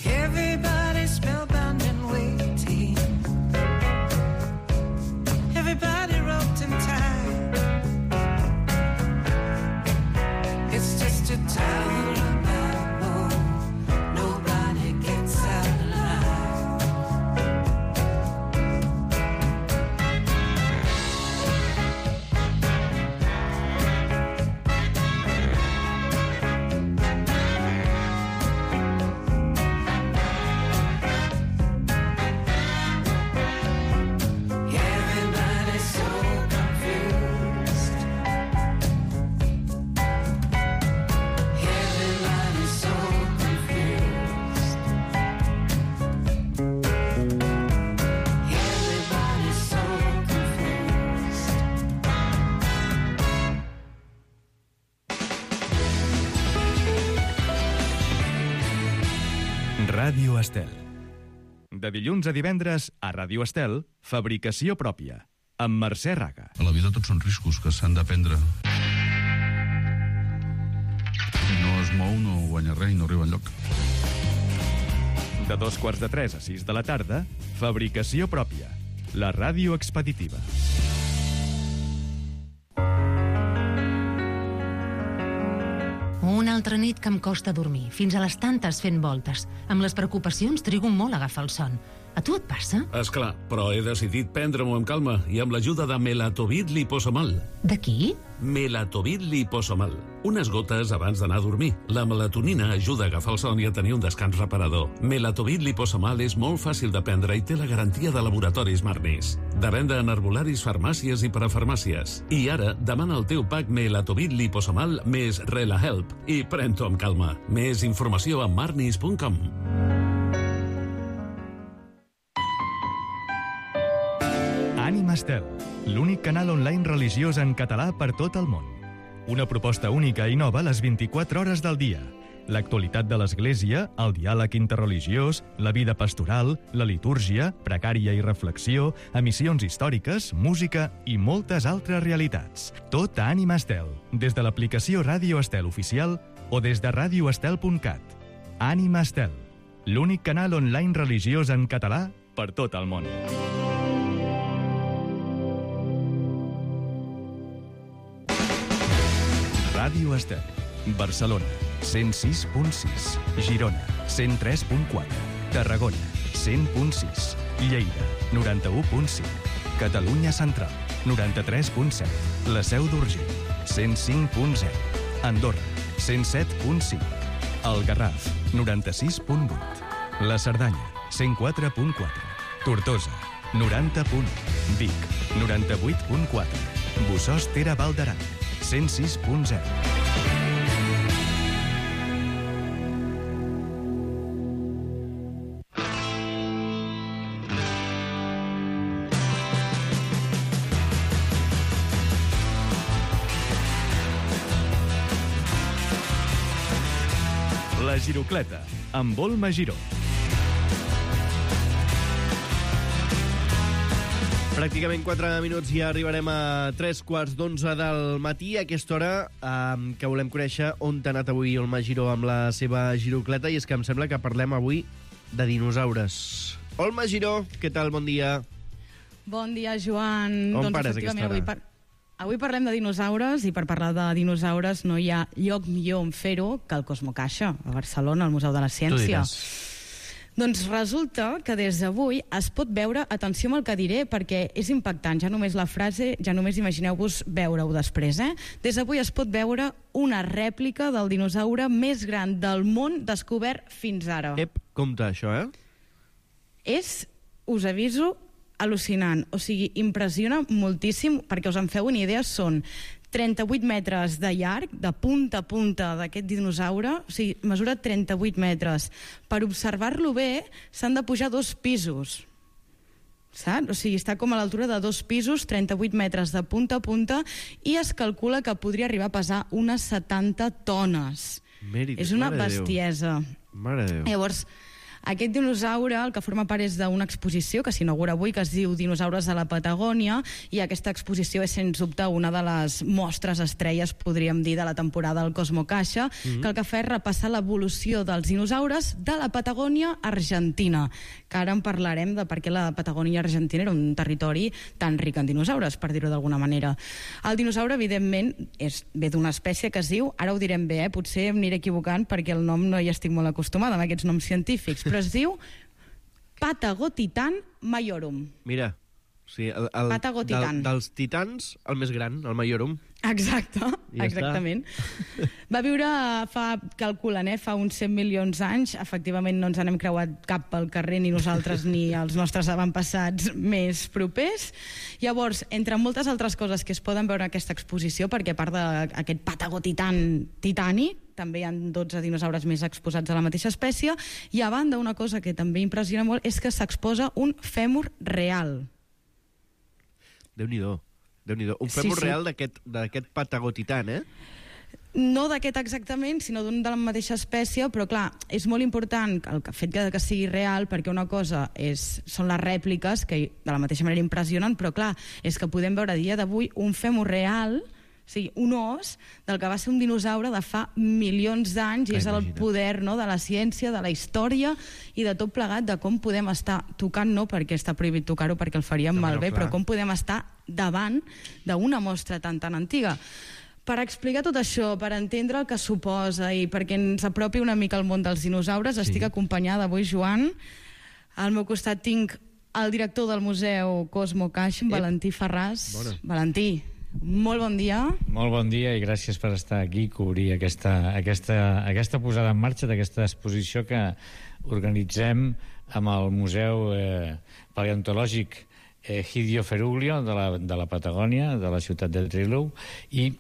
Everybody's spellbound and waiting. Everybody roped and tied. It's just a town about home. Nobody gets out alive. Everybody's so confused. Everybody's so confused. Everybody's so confused. Ràdio Estel. De dilluns a divendres, a Ràdio Estel, fabricació pròpia, amb Mercè Raga. A la vida tots són riscos que s'han de prendre. Si no es mou, no guanya res i no arriba enlloc. De dos quarts de tres a sis de la tarda, fabricació pròpia, la ràdio expeditiva. Una altra nit que em costa dormir, fins a les tantes fent voltes. Amb les preocupacions trigo molt a agafar el son. A tu et passa? Esclar, però he decidit prendre-m'ho amb calma i amb l'ajuda de Melatovit liposomal. De qui? Melatovit liposomal. Unes gotes abans d'anar a dormir. La melatonina ajuda a agafar el son i a tenir un descans reparador. Melatovit liposomal és molt fàcil de prendre i té la garantia de laboratoris Marnis. De venda en herbolaris, farmàcies i parafarmàcies. I ara, demana el teu pack Melatovit liposomal més RelaHelp i pren-t'ho amb calma. Més informació a marnis punt com. Ànima Estel, l'únic canal online religiós en català per tot el món. Una proposta única i nova a les vint-i-quatre hores del dia. L'actualitat de l'Església, el diàleg interreligiós, la vida pastoral, la litúrgia, precària i reflexió, emissions històriques, música i moltes altres realitats. Tot a Ànima Estel, des de l'aplicació Ràdio Estel oficial o des de radioestel punt cat. Ànima Estel, l'únic canal online religiós en català per tot el món. Ràdio Estel, Barcelona, cent sis punt sis, Girona, cent tres punt quatre, Tarragona, cent punt sis, Lleida, noranta-u punt cinc, Catalunya Central, noranta-tres punt set, La Seu d'Urgell, cent cinc punt zero, Andorra, cent set punt cinc, El Garraf, noranta-sis punt vuit, La Cerdanya, cent quatre punt quatre, Tortosa, noranta punt u, Vic, noranta-vuit punt quatre, Bossòst Ter Val d'Aran, cent sis punt zero. La Girocleta, amb Volma Giró. Pràcticament quatre minuts i ja arribarem a tres quarts d'onze del matí, a aquesta hora eh, que volem conèixer on t'ha anat avui Olma Giró amb la seva girocleta, i és que em sembla que parlem avui de dinosaures. Olma Giró, què tal? Bon dia. Bon dia, Joan. On doncs, pares aquesta hora? Avui, par avui parlem de dinosaures, i per parlar de dinosaures no hi ha lloc millor on fer-ho que el Cosmocaixa, a Barcelona, al Museu de la Ciència. Doncs resulta que des d'avui es pot veure, atenció amb el que diré, perquè és impactant, ja només la frase, ja només imagineu-vos veure-ho després, eh? Des d'avui es pot veure una rèplica del dinosaure més gran del món descobert fins ara. Ep, compte això, eh? És, us aviso, al·lucinant, o sigui, impressiona moltíssim, perquè us en feu una idea, són trenta-vuit metres de llarg, de punta a punta d'aquest dinosaure, o sigui, mesura trenta-vuit metres. Per observar-lo bé, s'han de pujar dos pisos, saps? O sigui, està com a l'altura de dos pisos, trenta-vuit metres de punta a punta, i es calcula que podria arribar a pesar unes setanta tones. Mèrit, és una mare de Déu. bestiesa. Mare de Déu. Llavors, aquest dinosaure, el que forma part és d'una exposició que s'inaugura avui, que es diu Dinosaures de la Patagònia, i aquesta exposició és, sens dubte, una de les mostres estrelles, podríem dir, de la temporada del Cosmocaixa, mm-hmm. que el que fa és repassar l'evolució dels dinosaures de la Patagònia argentina, que ara en parlarem de per què la Patagònia argentina era un territori tan ric en dinosaures, per dir-ho d'alguna manera. El dinosaure, evidentment, és, ve d'una espècie que es diu, ara ho direm bé, eh? Potser em aniré equivocant perquè el nom no hi estic molt acostumada, amb aquests noms científics, però es diu Patagotitan majorum. Mira, sí, el, el, del, dels titans, el més gran, el majorum. Exacte, ja exactament. Està. Va viure fa, calculen, eh, fa uns cent milions d'anys. Efectivament no ens n'hem creuat cap pel carrer, ni nosaltres ni els nostres avantpassats més propers. Llavors, entre moltes altres coses que es poden veure en aquesta exposició, perquè a part d'aquest Patagotitan titànic, també hi ha dotze dinosaures més exposats a la mateixa espècie, i a banda una cosa que també impressiona molt és que s'exposa un fèmur real. Déu-n'hi-do. Déu-n'hi-do. Un fèmur sí, sí. real d'aquest Patagotitan, eh? No d'aquest exactament, sinó d'un de la mateixa espècie, però clar, és molt important el fet que, que sigui real, perquè una cosa és, són les rèpliques, que de la mateixa manera impressionen, però clar, és que podem veure a dia d'avui un fèmur real, o sigui, un os del que va ser un dinosaure de fa milions d'anys, i és el poder, no?, de la ciència, de la història i de tot plegat, de com podem estar tocant, no perquè està prohibit tocar-ho perquè el faríem no, malbé, però com podem estar davant d'una mostra tan tan antiga. Per explicar tot això, per entendre el que suposa i perquè ens apropi una mica al món dels dinosaures, sí. Estic acompanyada avui, Joan. Al meu costat tinc el director del Museu Cosmocaixa, Valentí Ferràs. Bona. Valentí, molt bon dia. Molt bon dia i gràcies per estar aquí i cobrir aquesta, aquesta, aquesta posada en marxa d'aquesta exposició que organitzem amb el Museu eh, Paleontològic eh, Hidio Feruglio de la, de la Patagònia, de la ciutat de Trilou, i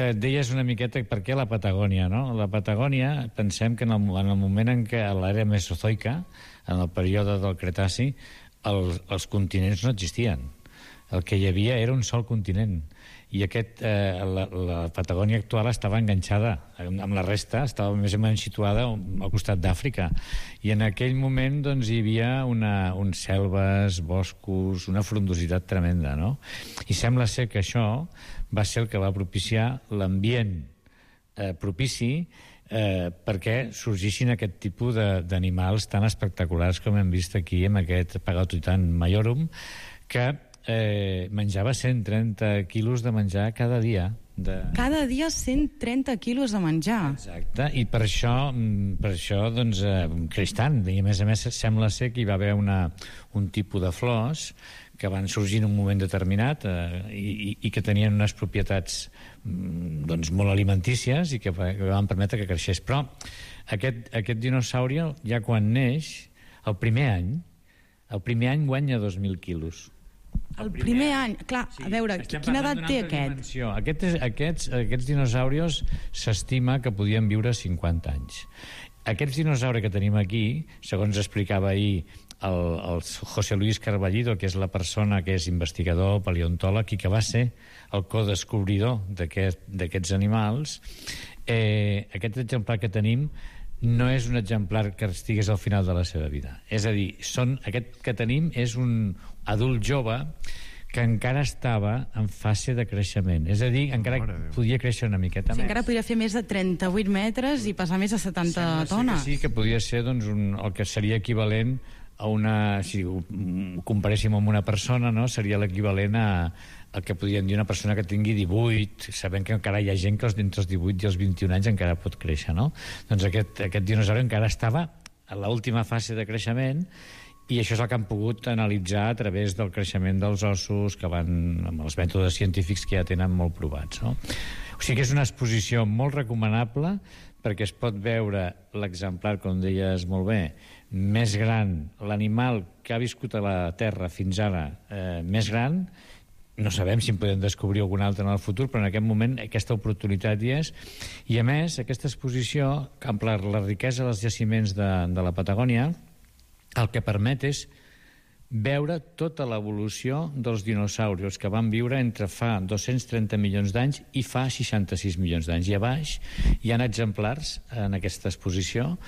eh, deies una miqueta per què la Patagònia, no? La Patagònia, pensem que en el, en el moment en què a l'era mesozoica, en el període del Cretaci, el, els continents no existien. El que hi havia era un sol continent, i aquest, eh, la, la Patagònia actual estava enganxada amb la resta, estava més o menys situada al costat d'Àfrica, i en aquell moment doncs, hi havia una, uns selves, boscos, una frondositat tremenda, no? I sembla ser que això va ser el que va propiciar l'ambient eh, propici eh, perquè sorgissin aquest tipus d'animals tan espectaculars com hem vist aquí amb aquest Patagotitan majorum, que Eh, menjava cent trenta quilos de menjar cada dia. De... Cada dia cent trenta quilos de menjar. Exacte, i per això, per això doncs, eh, creix tant. I a més a més sembla ser que hi va haver una, un tipus de flors que van sorgir en un moment determinat eh, i, i que tenien unes propietats doncs, molt alimentícies i que, que van permetre que creixés. Però aquest, aquest dinosaure, ja quan neix, el primer any, El primer any guanya dos mil quilos. El primer any, clar, a veure, quina edat té aquest? Dimensió. Aquests, aquests, aquests dinosaurios s'estima que podien viure cinquanta anys. Aquests dinosaures que tenim aquí, segons explicava ahir el, el José Luis Carballido, que és la persona que és investigador, paleontòleg, i que va ser el codescobridor d'aquests aquest, animals, eh, aquest exemplar que tenim no és un exemplar que estigués al final de la seva vida. És a dir, són, aquest que tenim és un adult jove que encara estava en fase de creixement. És a dir, encara podia créixer una miqueta sí, més. Encara podria fer més de trenta-vuit metres i pesar més de setanta tones. Sí, que podria ser doncs, un, el que seria equivalent a una... Si ho comparéssim amb una persona, no? Seria l'equivalent a el que podríem dir una persona que tingui divuit, sabent que encara hi ha gent que entre els divuit i els vint-i-un anys encara pot créixer, no? Doncs aquest, aquest dinosaure encara estava a l'última fase de creixement, i això és el que han pogut analitzar a través del creixement dels ossos, que van amb els mètodes científics que ja tenen molt provats, no? O sigui que és una exposició molt recomanable, perquè es pot veure l'exemplar, com deies molt bé, més gran, l'animal que ha viscut a la Terra fins ara eh, més gran. No sabem si en podem descobrir algun altre en el futur, però en aquest moment aquesta oportunitat hi és. I a més, aquesta exposició, amb la, la riquesa dels jaciments de, de la Patagònia, el que permet és veure tota l'evolució dels dinosaures que van viure entre fa dos-cents trenta milions d'anys i fa seixanta-sis milions d'anys. I a baix hi ha exemplars en aquesta exposició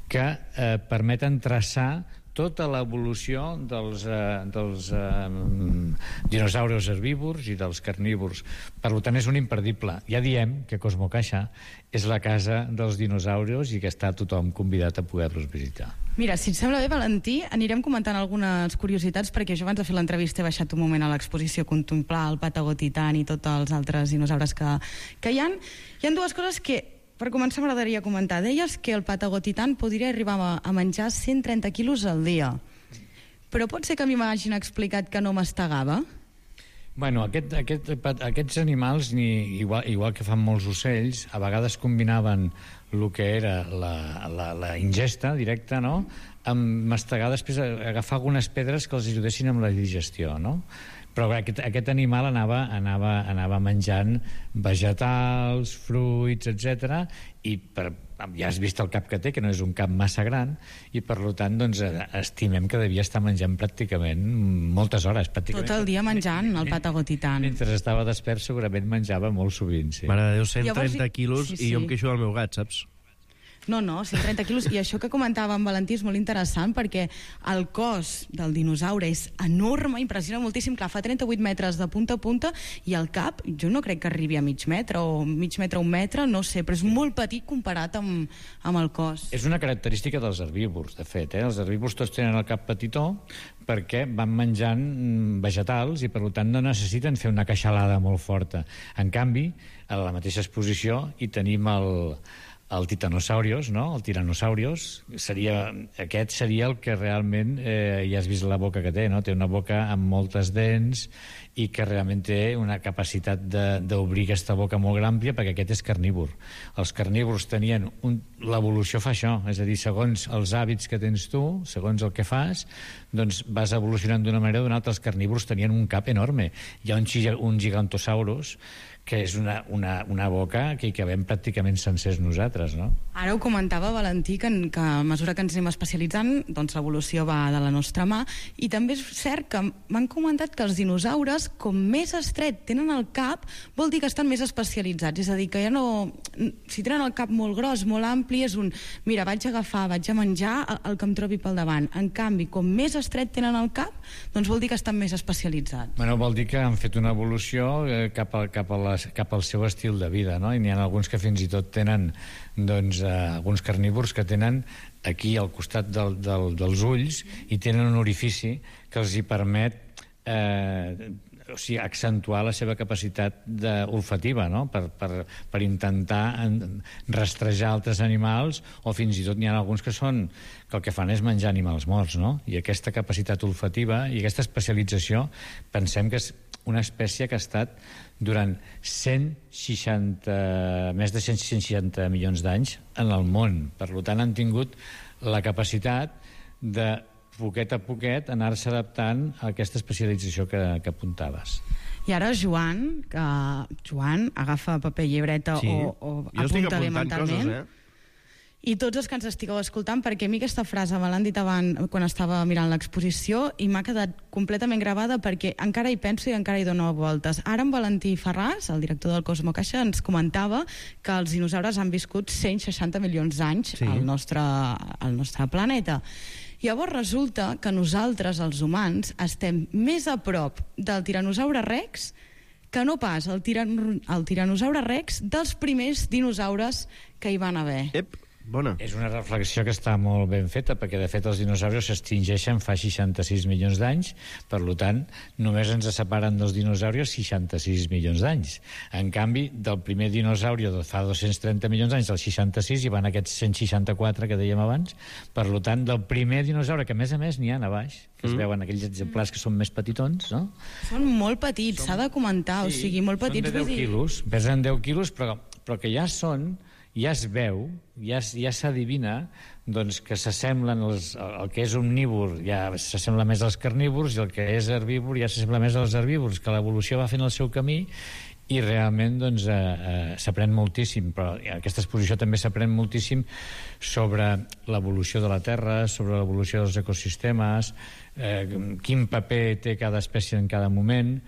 que eh, permeten traçar tota l'evolució dels, eh, dels eh, dinosaures herbívors i dels carnívors. Per tant, és un imperdible. Ja diem que Cosmocaixa és la casa dels dinosaures i que està tothom convidat a poder-los visitar. Mira, si et sembla bé, Valentí, anirem comentant algunes curiositats, perquè jo abans de fer l'entrevista he baixat un moment a l'exposició a contemplar el Patagotitan i tots els altres dinosaures que, que hi ha. Hi ha dues coses que, per començar, m'agradaria comentar. Deies que el Patagotitan podria arribar a, a menjar cent trenta quilos al dia. Però pot ser que a mi m'hagin explicat que no mastegava? Bueno, aquest, aquest, aquests animals, ni, igual, igual que fan molts ocells, a vegades combinaven el que era la, la, la ingesta directa, no?, amb mastegar, després agafar algunes pedres que els ajudessin amb la digestió, no? Però aquest, aquest animal anava, anava, anava menjant vegetals, fruits, etcètera, i per, ja has vist el cap que té, que no és un cap massa gran, i per tant doncs, estimem que devia estar menjant pràcticament moltes hores. Pràcticament. Tot el dia menjant el Patagotitan. Mentre estava despert segurament menjava molt sovint, sí. Mare de Déu, cent trenta quilos sí, sí. I jo em queixo del meu gat, saps? No, no, cent trenta quilos. I això que comentava en Valentí és molt interessant, perquè el cos del dinosaure és enorme, impressiona moltíssim. Clar, fa trenta-vuit metres de punta a punta, i el cap, jo no crec que arribi a mig metre, o mig metre a un metre, no sé, però és molt petit comparat amb, amb el cos. És una característica dels herbívors, de fet. Eh? Els herbívors tots tenen el cap petitó perquè van menjant vegetals i, per tant, no necessiten fer una queixalada molt forta. En canvi, a la mateixa exposició hi tenim el... el Titanosaurios, no? El Tiranosaurios, seria, aquest seria el que realment, eh, ja has vist la boca que té, no? Té una boca amb moltes dents i que realment té una capacitat d'obrir aquesta boca molt àmplia, perquè aquest és carnívor. Els carnívors tenien... Un... L'evolució fa això, és a dir, segons els hàbits que tens tu, segons el que fas, doncs vas evolucionant d'una manera o d'una altra. Els carnívors tenien un cap enorme. Hi ha un, un Gigantosaurus que és una, una, una boca que hi cabem pràcticament sencers nosaltres, no? Ara ho comentava Valentí, que, que a mesura que ens anem especialitzant, doncs l'evolució va de la nostra mà, i també és cert que m'han comentat que els dinosaures, com més estret tenen el cap, vol dir que estan més especialitzats, és a dir, que ja no... Si tenen el cap molt gros, molt ampli, és un... Mira, vaig a agafar, vaig a menjar el, el que em trobi pel davant. En canvi, com més estret tenen el cap, doncs vol dir que estan més especialitzats. Bueno, vol dir que han fet una evolució eh, cap, a, cap a la cap al seu estil de vida, no? I n'hi ha alguns que fins i tot tenen, doncs, eh, alguns carnívors que tenen aquí al costat del, del, dels ulls, i tenen un orifici que els hi permet eh, o sigui, accentuar la seva capacitat de, olfativa, no? Per, per, per intentar rastrejar altres animals, o fins i tot n'hi ha alguns que són que el que fan és menjar animals morts, no? I aquesta capacitat olfativa i aquesta especialització pensem que és una espècie que ha estat durant cent seixanta, més de cent seixanta milions d'anys en el món. Per tant, han tingut la capacitat de poquet a poquet, anar-se adaptant a aquesta especialització que, que apuntaves. I ara Joan, que Joan agafa paper i llibreta Sí. o, o Jo estic apunta bé apuntant mentalment. coses, eh? I tots els que ens estigueu escoltant, perquè a mi aquesta frase me l'han dit abans quan estava mirant l'exposició i m'ha quedat completament gravada perquè encara hi penso i encara hi dono voltes. Ara en Valentí Ferràs, el director del Cosmo Caixa, ens comentava que els dinosaures han viscut cent seixanta milions d'anys Sí. al, nostre, al nostre planeta. Llavors resulta que nosaltres, els humans, estem més a prop del tiranosaure rex que no pas el, tiran, el tiranosaure rex dels primers dinosaures que hi van haver. Ep, bona. És una reflexió que està molt ben feta, perquè de fet els dinosaures s'extingeixen fa seixanta-sis milions d'anys, per tant, només ens separen dels dinosaures seixanta-sis milions d'anys. En canvi, del primer dinosauri de fa dos-cents trenta milions d'anys, del seixanta-sis, hi van aquests cent seixanta-quatre que dèiem abans, per tant, del primer dinosaure, que a més a més n'hi ha a baix, que es Mm. veuen aquells exemplars que són més petitons, no? Són molt petits, s'ha de comentar, o sigui, molt petits. Són de deu vull dir- quilos, pesen deu quilos, però, però que ja són, ja es veu, ja, es- ja s'adivina doncs, que s'assemblen els, el que és omnívor ja s'assembla més als carnívors i el que és herbívor ja s'assembla més als herbívors, que l'evolució va fent el seu camí i realment doncs, eh, eh, s'aprèn moltíssim, però en aquesta exposició també s'aprèn moltíssim sobre l'evolució de la Terra, sobre l'evolució dels ecosistemes, eh, quin paper té cada espècie en cada moment,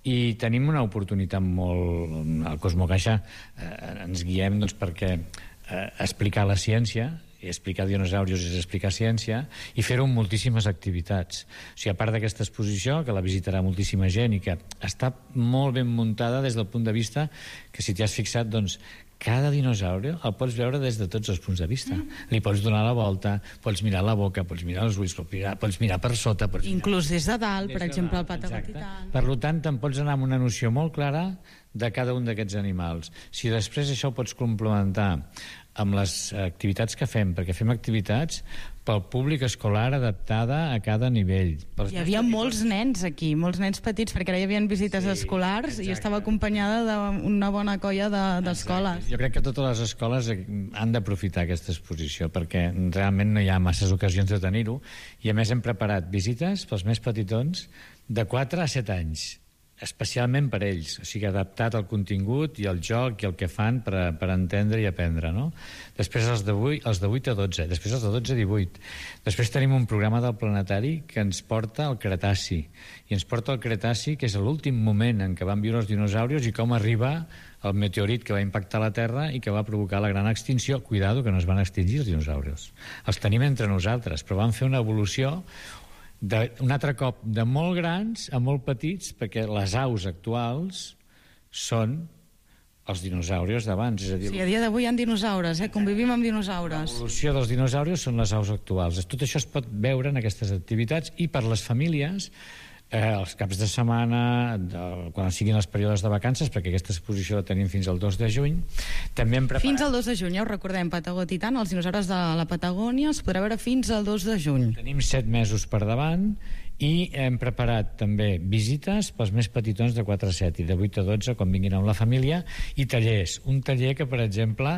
i tenim una oportunitat molt... Al Cosmo Caixa eh, ens guiem doncs, perquè eh, explicar la ciència, i explicar dinosaurios és explicar ciència, i fer-ho amb moltíssimes activitats. O sigui, a part d'aquesta exposició, que la visitarà moltíssima gent i que està molt ben muntada des del punt de vista que, si t'hi has fixat, doncs, cada dinosaure el pots veure des de tots els punts de vista. Mm. Li pots donar la volta, pots mirar la boca, pots mirar els ulls, pots mirar, pots mirar per sota... Pots Inclús des de dalt, des per de exemple, dalt, el exacte. patagonital. Per tant, te'n pots anar amb una noció molt clara de cada un d'aquests animals. Si després això ho pots complementar amb les activitats que fem, perquè fem activitats pel públic escolar adaptada a cada nivell. Pels Hi havia molts nens aquí, molts nens petits, perquè ara hi havia visites Sí, escolars exacte. i estava acompanyada d'una bona colla de- d'escoles. Jo crec que totes les escoles han d'aprofitar aquesta exposició, perquè realment no hi ha masses ocasions de tenir-ho, i a més hem preparat visites pels més petitons de quatre a set anys, especialment per ells, o sigui, adaptat al contingut i al joc i el que fan per, per entendre i aprendre, no? Després els de vuit, els de vuit a dotze, després els de dotze a divuit. Després tenim un programa del planetari que ens porta al Cretaci, i ens porta al Cretaci, que és l'últim moment en què van viure els dinosaurios i com arriba el meteorit que va impactar la Terra i que va provocar la gran extinció. Cuidado, que no es van extingir els dinosaurios. Els tenim entre nosaltres, però van fer una evolució de, un altre cop de molt grans a molt petits, perquè les aus actuals són els dinosaurios d'abans. És a dir, Sí, a dia d'avui hi ha dinosaures, eh? Convivim amb dinosaures. l'evolució dels dinosaurios són les aus actuals. Tot això es pot veure en aquestes activitats, i per les famílies, eh, els caps de setmana, de, quan siguin els períodes de vacances, perquè aquesta exposició la tenim fins al dos de juny, també hem preparat... Fins al dos de juny, ja ho recordem, Patagó Titan, els dinosaures de la Patagònia, es podrà veure fins al dos de juny. Tenim set mesos per davant, i hem preparat també visites pels més petitons de quatre a set i de vuit a dotze, quan vinguin amb la família, i tallers. Un taller que, per exemple,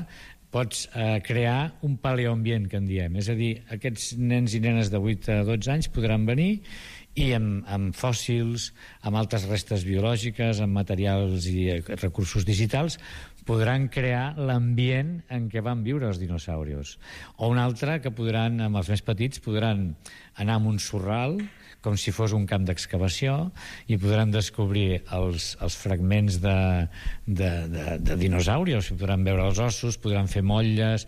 pots eh, crear un paleoambient, que en diem. És a dir, aquests nens i nenes de vuit a dotze anys podran venir i amb, amb fòssils, amb altres restes biològiques, amb materials i eh, recursos digitals, podran crear l'ambient en què van viure els dinosaurios. O un altre que podran, amb els més petits, podran anar a un sorral, com si fos un camp d'excavació, i podran descobrir els, els fragments de, de, de, de dinosaurios, podran veure els ossos, podran fer motlles,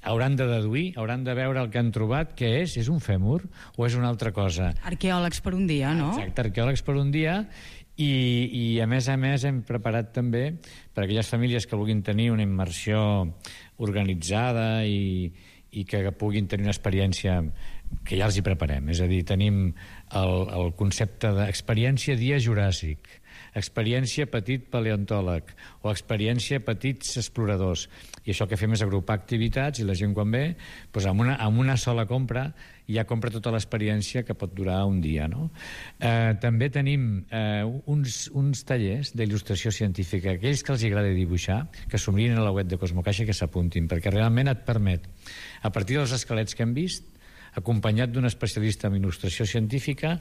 hauran de deduir, hauran de veure el que han trobat, què és, és un fèmur o és una altra cosa. Arqueòlegs per un dia, no? Exacte, arqueòlegs per un dia, i, i a més a més hem preparat també per a aquelles famílies que vulguin tenir una immersió organitzada i, i que puguin tenir una experiència que ja els hi preparem. És a dir, tenim el, el concepte d'experiència dia juràssic, experiència petit paleontòleg o experiència petits exploradors. I això que fem és agrupar activitats, i la gent quan ve, doncs amb, una, amb una sola compra ja compra tota l'experiència, que pot durar un dia, no? Eh, també tenim eh, uns, uns tallers d'il·lustració científica, aquells que els agrada dibuixar, que s'ho mirin a la web de Cosmo Caixa i que s'apuntin, perquè realment et permet, a partir dels esquelets que hem vist, acompanyat d'un especialista en il·lustració científica,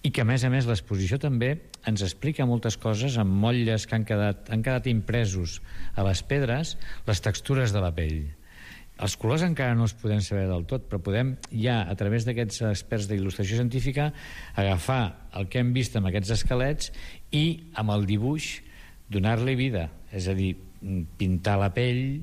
i que, a més a més, l'exposició també ens explica moltes coses amb motlles que han quedat, han quedat impresos a les pedres, les textures de la pell. Els colors encara no els podem saber del tot, però podem ja, a través d'aquests experts d'il·lustració científica, agafar el que hem vist amb aquests esquelets i, amb el dibuix, donar-li vida. És a dir, pintar la pell,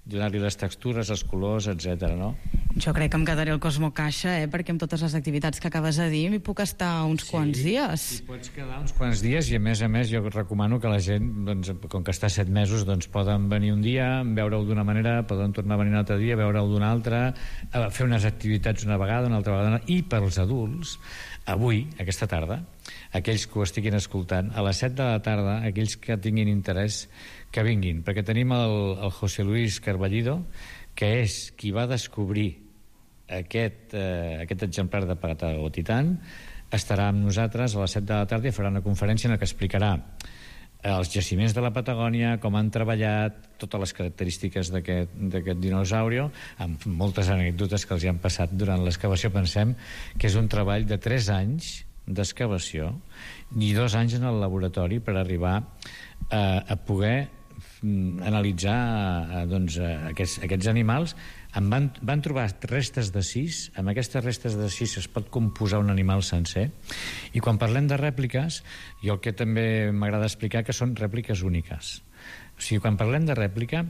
donar-li les textures, els colors, etcètera. No? Jo crec que em quedaré al Cosmo Caixa, eh? perquè amb totes les activitats que acabes de dir m'hi puc estar uns sí, quants dies. Hi pots quedar uns quants dies i, a més a més, jo recomano que la gent, doncs, com que està set mesos, doncs, poden venir un dia, veure-ho d'una manera, poden tornar a venir un altre dia, veure-ho d'una altra, fer unes activitats una vegada, una altra vegada, i pels adults, avui, aquesta tarda, aquells que ho estiguin escoltant, a les set de la tarda, aquells que tinguin interès, que vinguin, perquè tenim el, el José Luis Carballido, que és qui va descobrir aquest, eh, aquest exemplar de Patagotitan, estarà amb nosaltres a les set de la tarda i farà una conferència en la que explicarà els jaciments de la Patagònia, com han treballat, totes les característiques d'aquest dinosaure, amb moltes anècdotes que els hi han passat durant l'excavació. Pensem que és un treball de tres anys d'excavació i dos anys en el laboratori per arribar a, a poder analitzar eh, doncs, eh, aquests, aquests animals. En van, van trobar restes de sis. Amb aquestes restes de sis es pot composar un animal sencer. I quan parlem de rèpliques, jo el que també m'agrada explicar que són rèpliques úniques. O sigui, quan parlem de rèplica,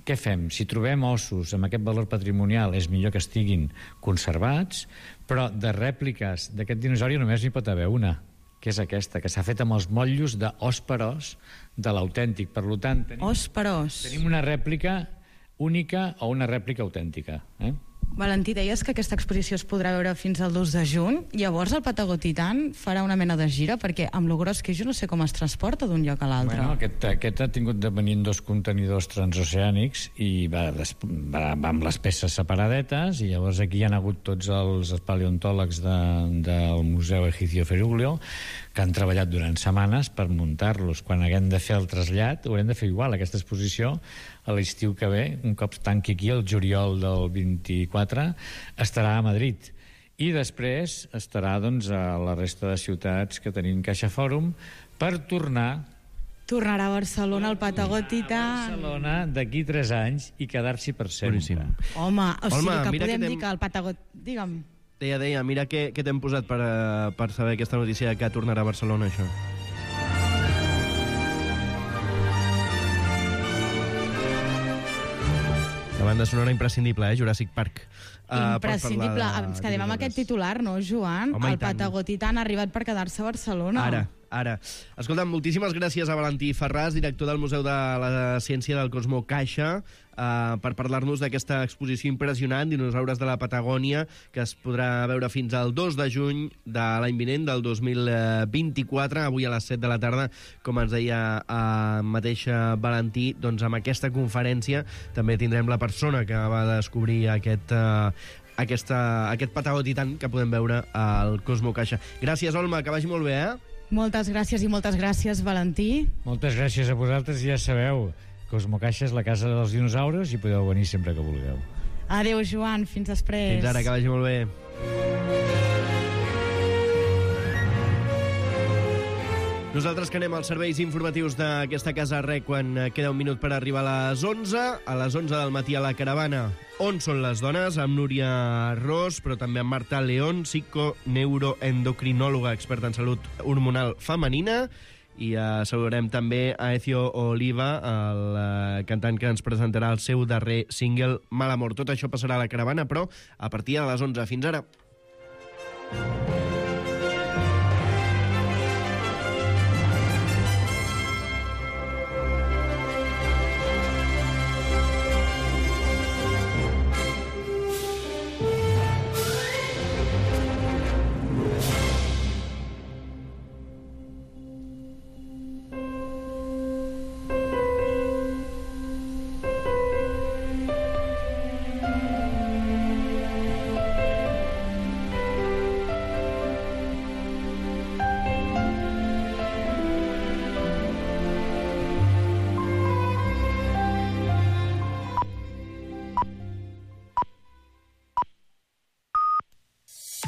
què fem? Si trobem ossos amb aquest valor patrimonial, és millor que estiguin conservats, però de rèpliques d'aquest dinosauri només n'hi pot haver una, que és aquesta, que s'ha fet amb els motllos d'os per os de l'autèntic. Per tant, tenim, os per os. Tenim una rèplica única o una rèplica autèntica. Eh? Valentí, deies que aquesta exposició es podrà veure fins al dos de juny. Llavors el Patagotitan farà una mena de gira, perquè amb lo gros que és jo no sé com es transporta d'un lloc a l'altre. Bueno, aquest, aquest ha tingut de venir en dos contenidors transoceànics i va, va, va amb les peces separadetes, i llavors aquí hi ha hagut tots els paleontòlegs de, del Museu Egipcio Feruglio que han treballat durant setmanes per muntar-los. Quan haguem de fer el trasllat, haurem de fer igual, aquesta exposició a l'estiu que ve, un cop tanqui aquí el juliol del vint-i-quatre, estarà a Madrid. I després estarà doncs, a la resta de ciutats que tenim Caixa Fòrum per tornar... Tornarà a Barcelona, al Patagotitan. A Barcelona d'aquí tres anys i quedar-s'hi per sempre. Boníssim. Home, o sigui Home, que podem que dir que el Patagot... Digue'm. Deia, deia, mira què, què t'hem posat per, uh, per saber aquesta notícia que tornarà a Barcelona, això. La banda sonora imprescindible, eh? Jurassic Park. Uh, Imprescindible. Ens quedem amb aquest titular, no, Joan? Home, el Patagotitan ha arribat per quedar-se a Barcelona. Ara, ara. Escolta'm, moltíssimes gràcies a Valentí Ferràs, director del Museu de la Ciència del Cosmo Caixa, uh, per parlar-nos d'aquesta exposició impressionant, Dinosaures de la Patagònia, que es podrà veure fins al dos de juny de l'any vinent, del dos mil vint-i-quatre, avui a les set de la tarda, com ens deia uh, mateixa Valentí. Doncs amb aquesta conferència també tindrem la persona que va descobrir aquest... Uh, Aquesta, aquest Patagotitan que podem veure al Cosmo Caixa. Gràcies, Olma, que vagi molt bé, eh? Moltes gràcies i moltes gràcies, Valentí. Moltes gràcies a vosaltres, ja sabeu, Cosmo Caixa és la casa dels dinosaures i podeu venir sempre que vulgueu. Adéu, Joan, fins després. Fins ara, que vagi molt bé. Nosaltres que anem als serveis informatius d'aquesta casa REC quan queda un minut per arribar a les onze. A les onze del matí a la caravana On són les dones? Amb Núria Ros, però també amb Marta León, psiconeuroendocrinòloga, experta en salut hormonal femenina. I uh, saludarem també a Ezio Oliva, el uh, cantant que ens presentarà el seu darrer single, Mal Amor. Tot això passarà a la caravana, però a partir de les onze. Fins ara.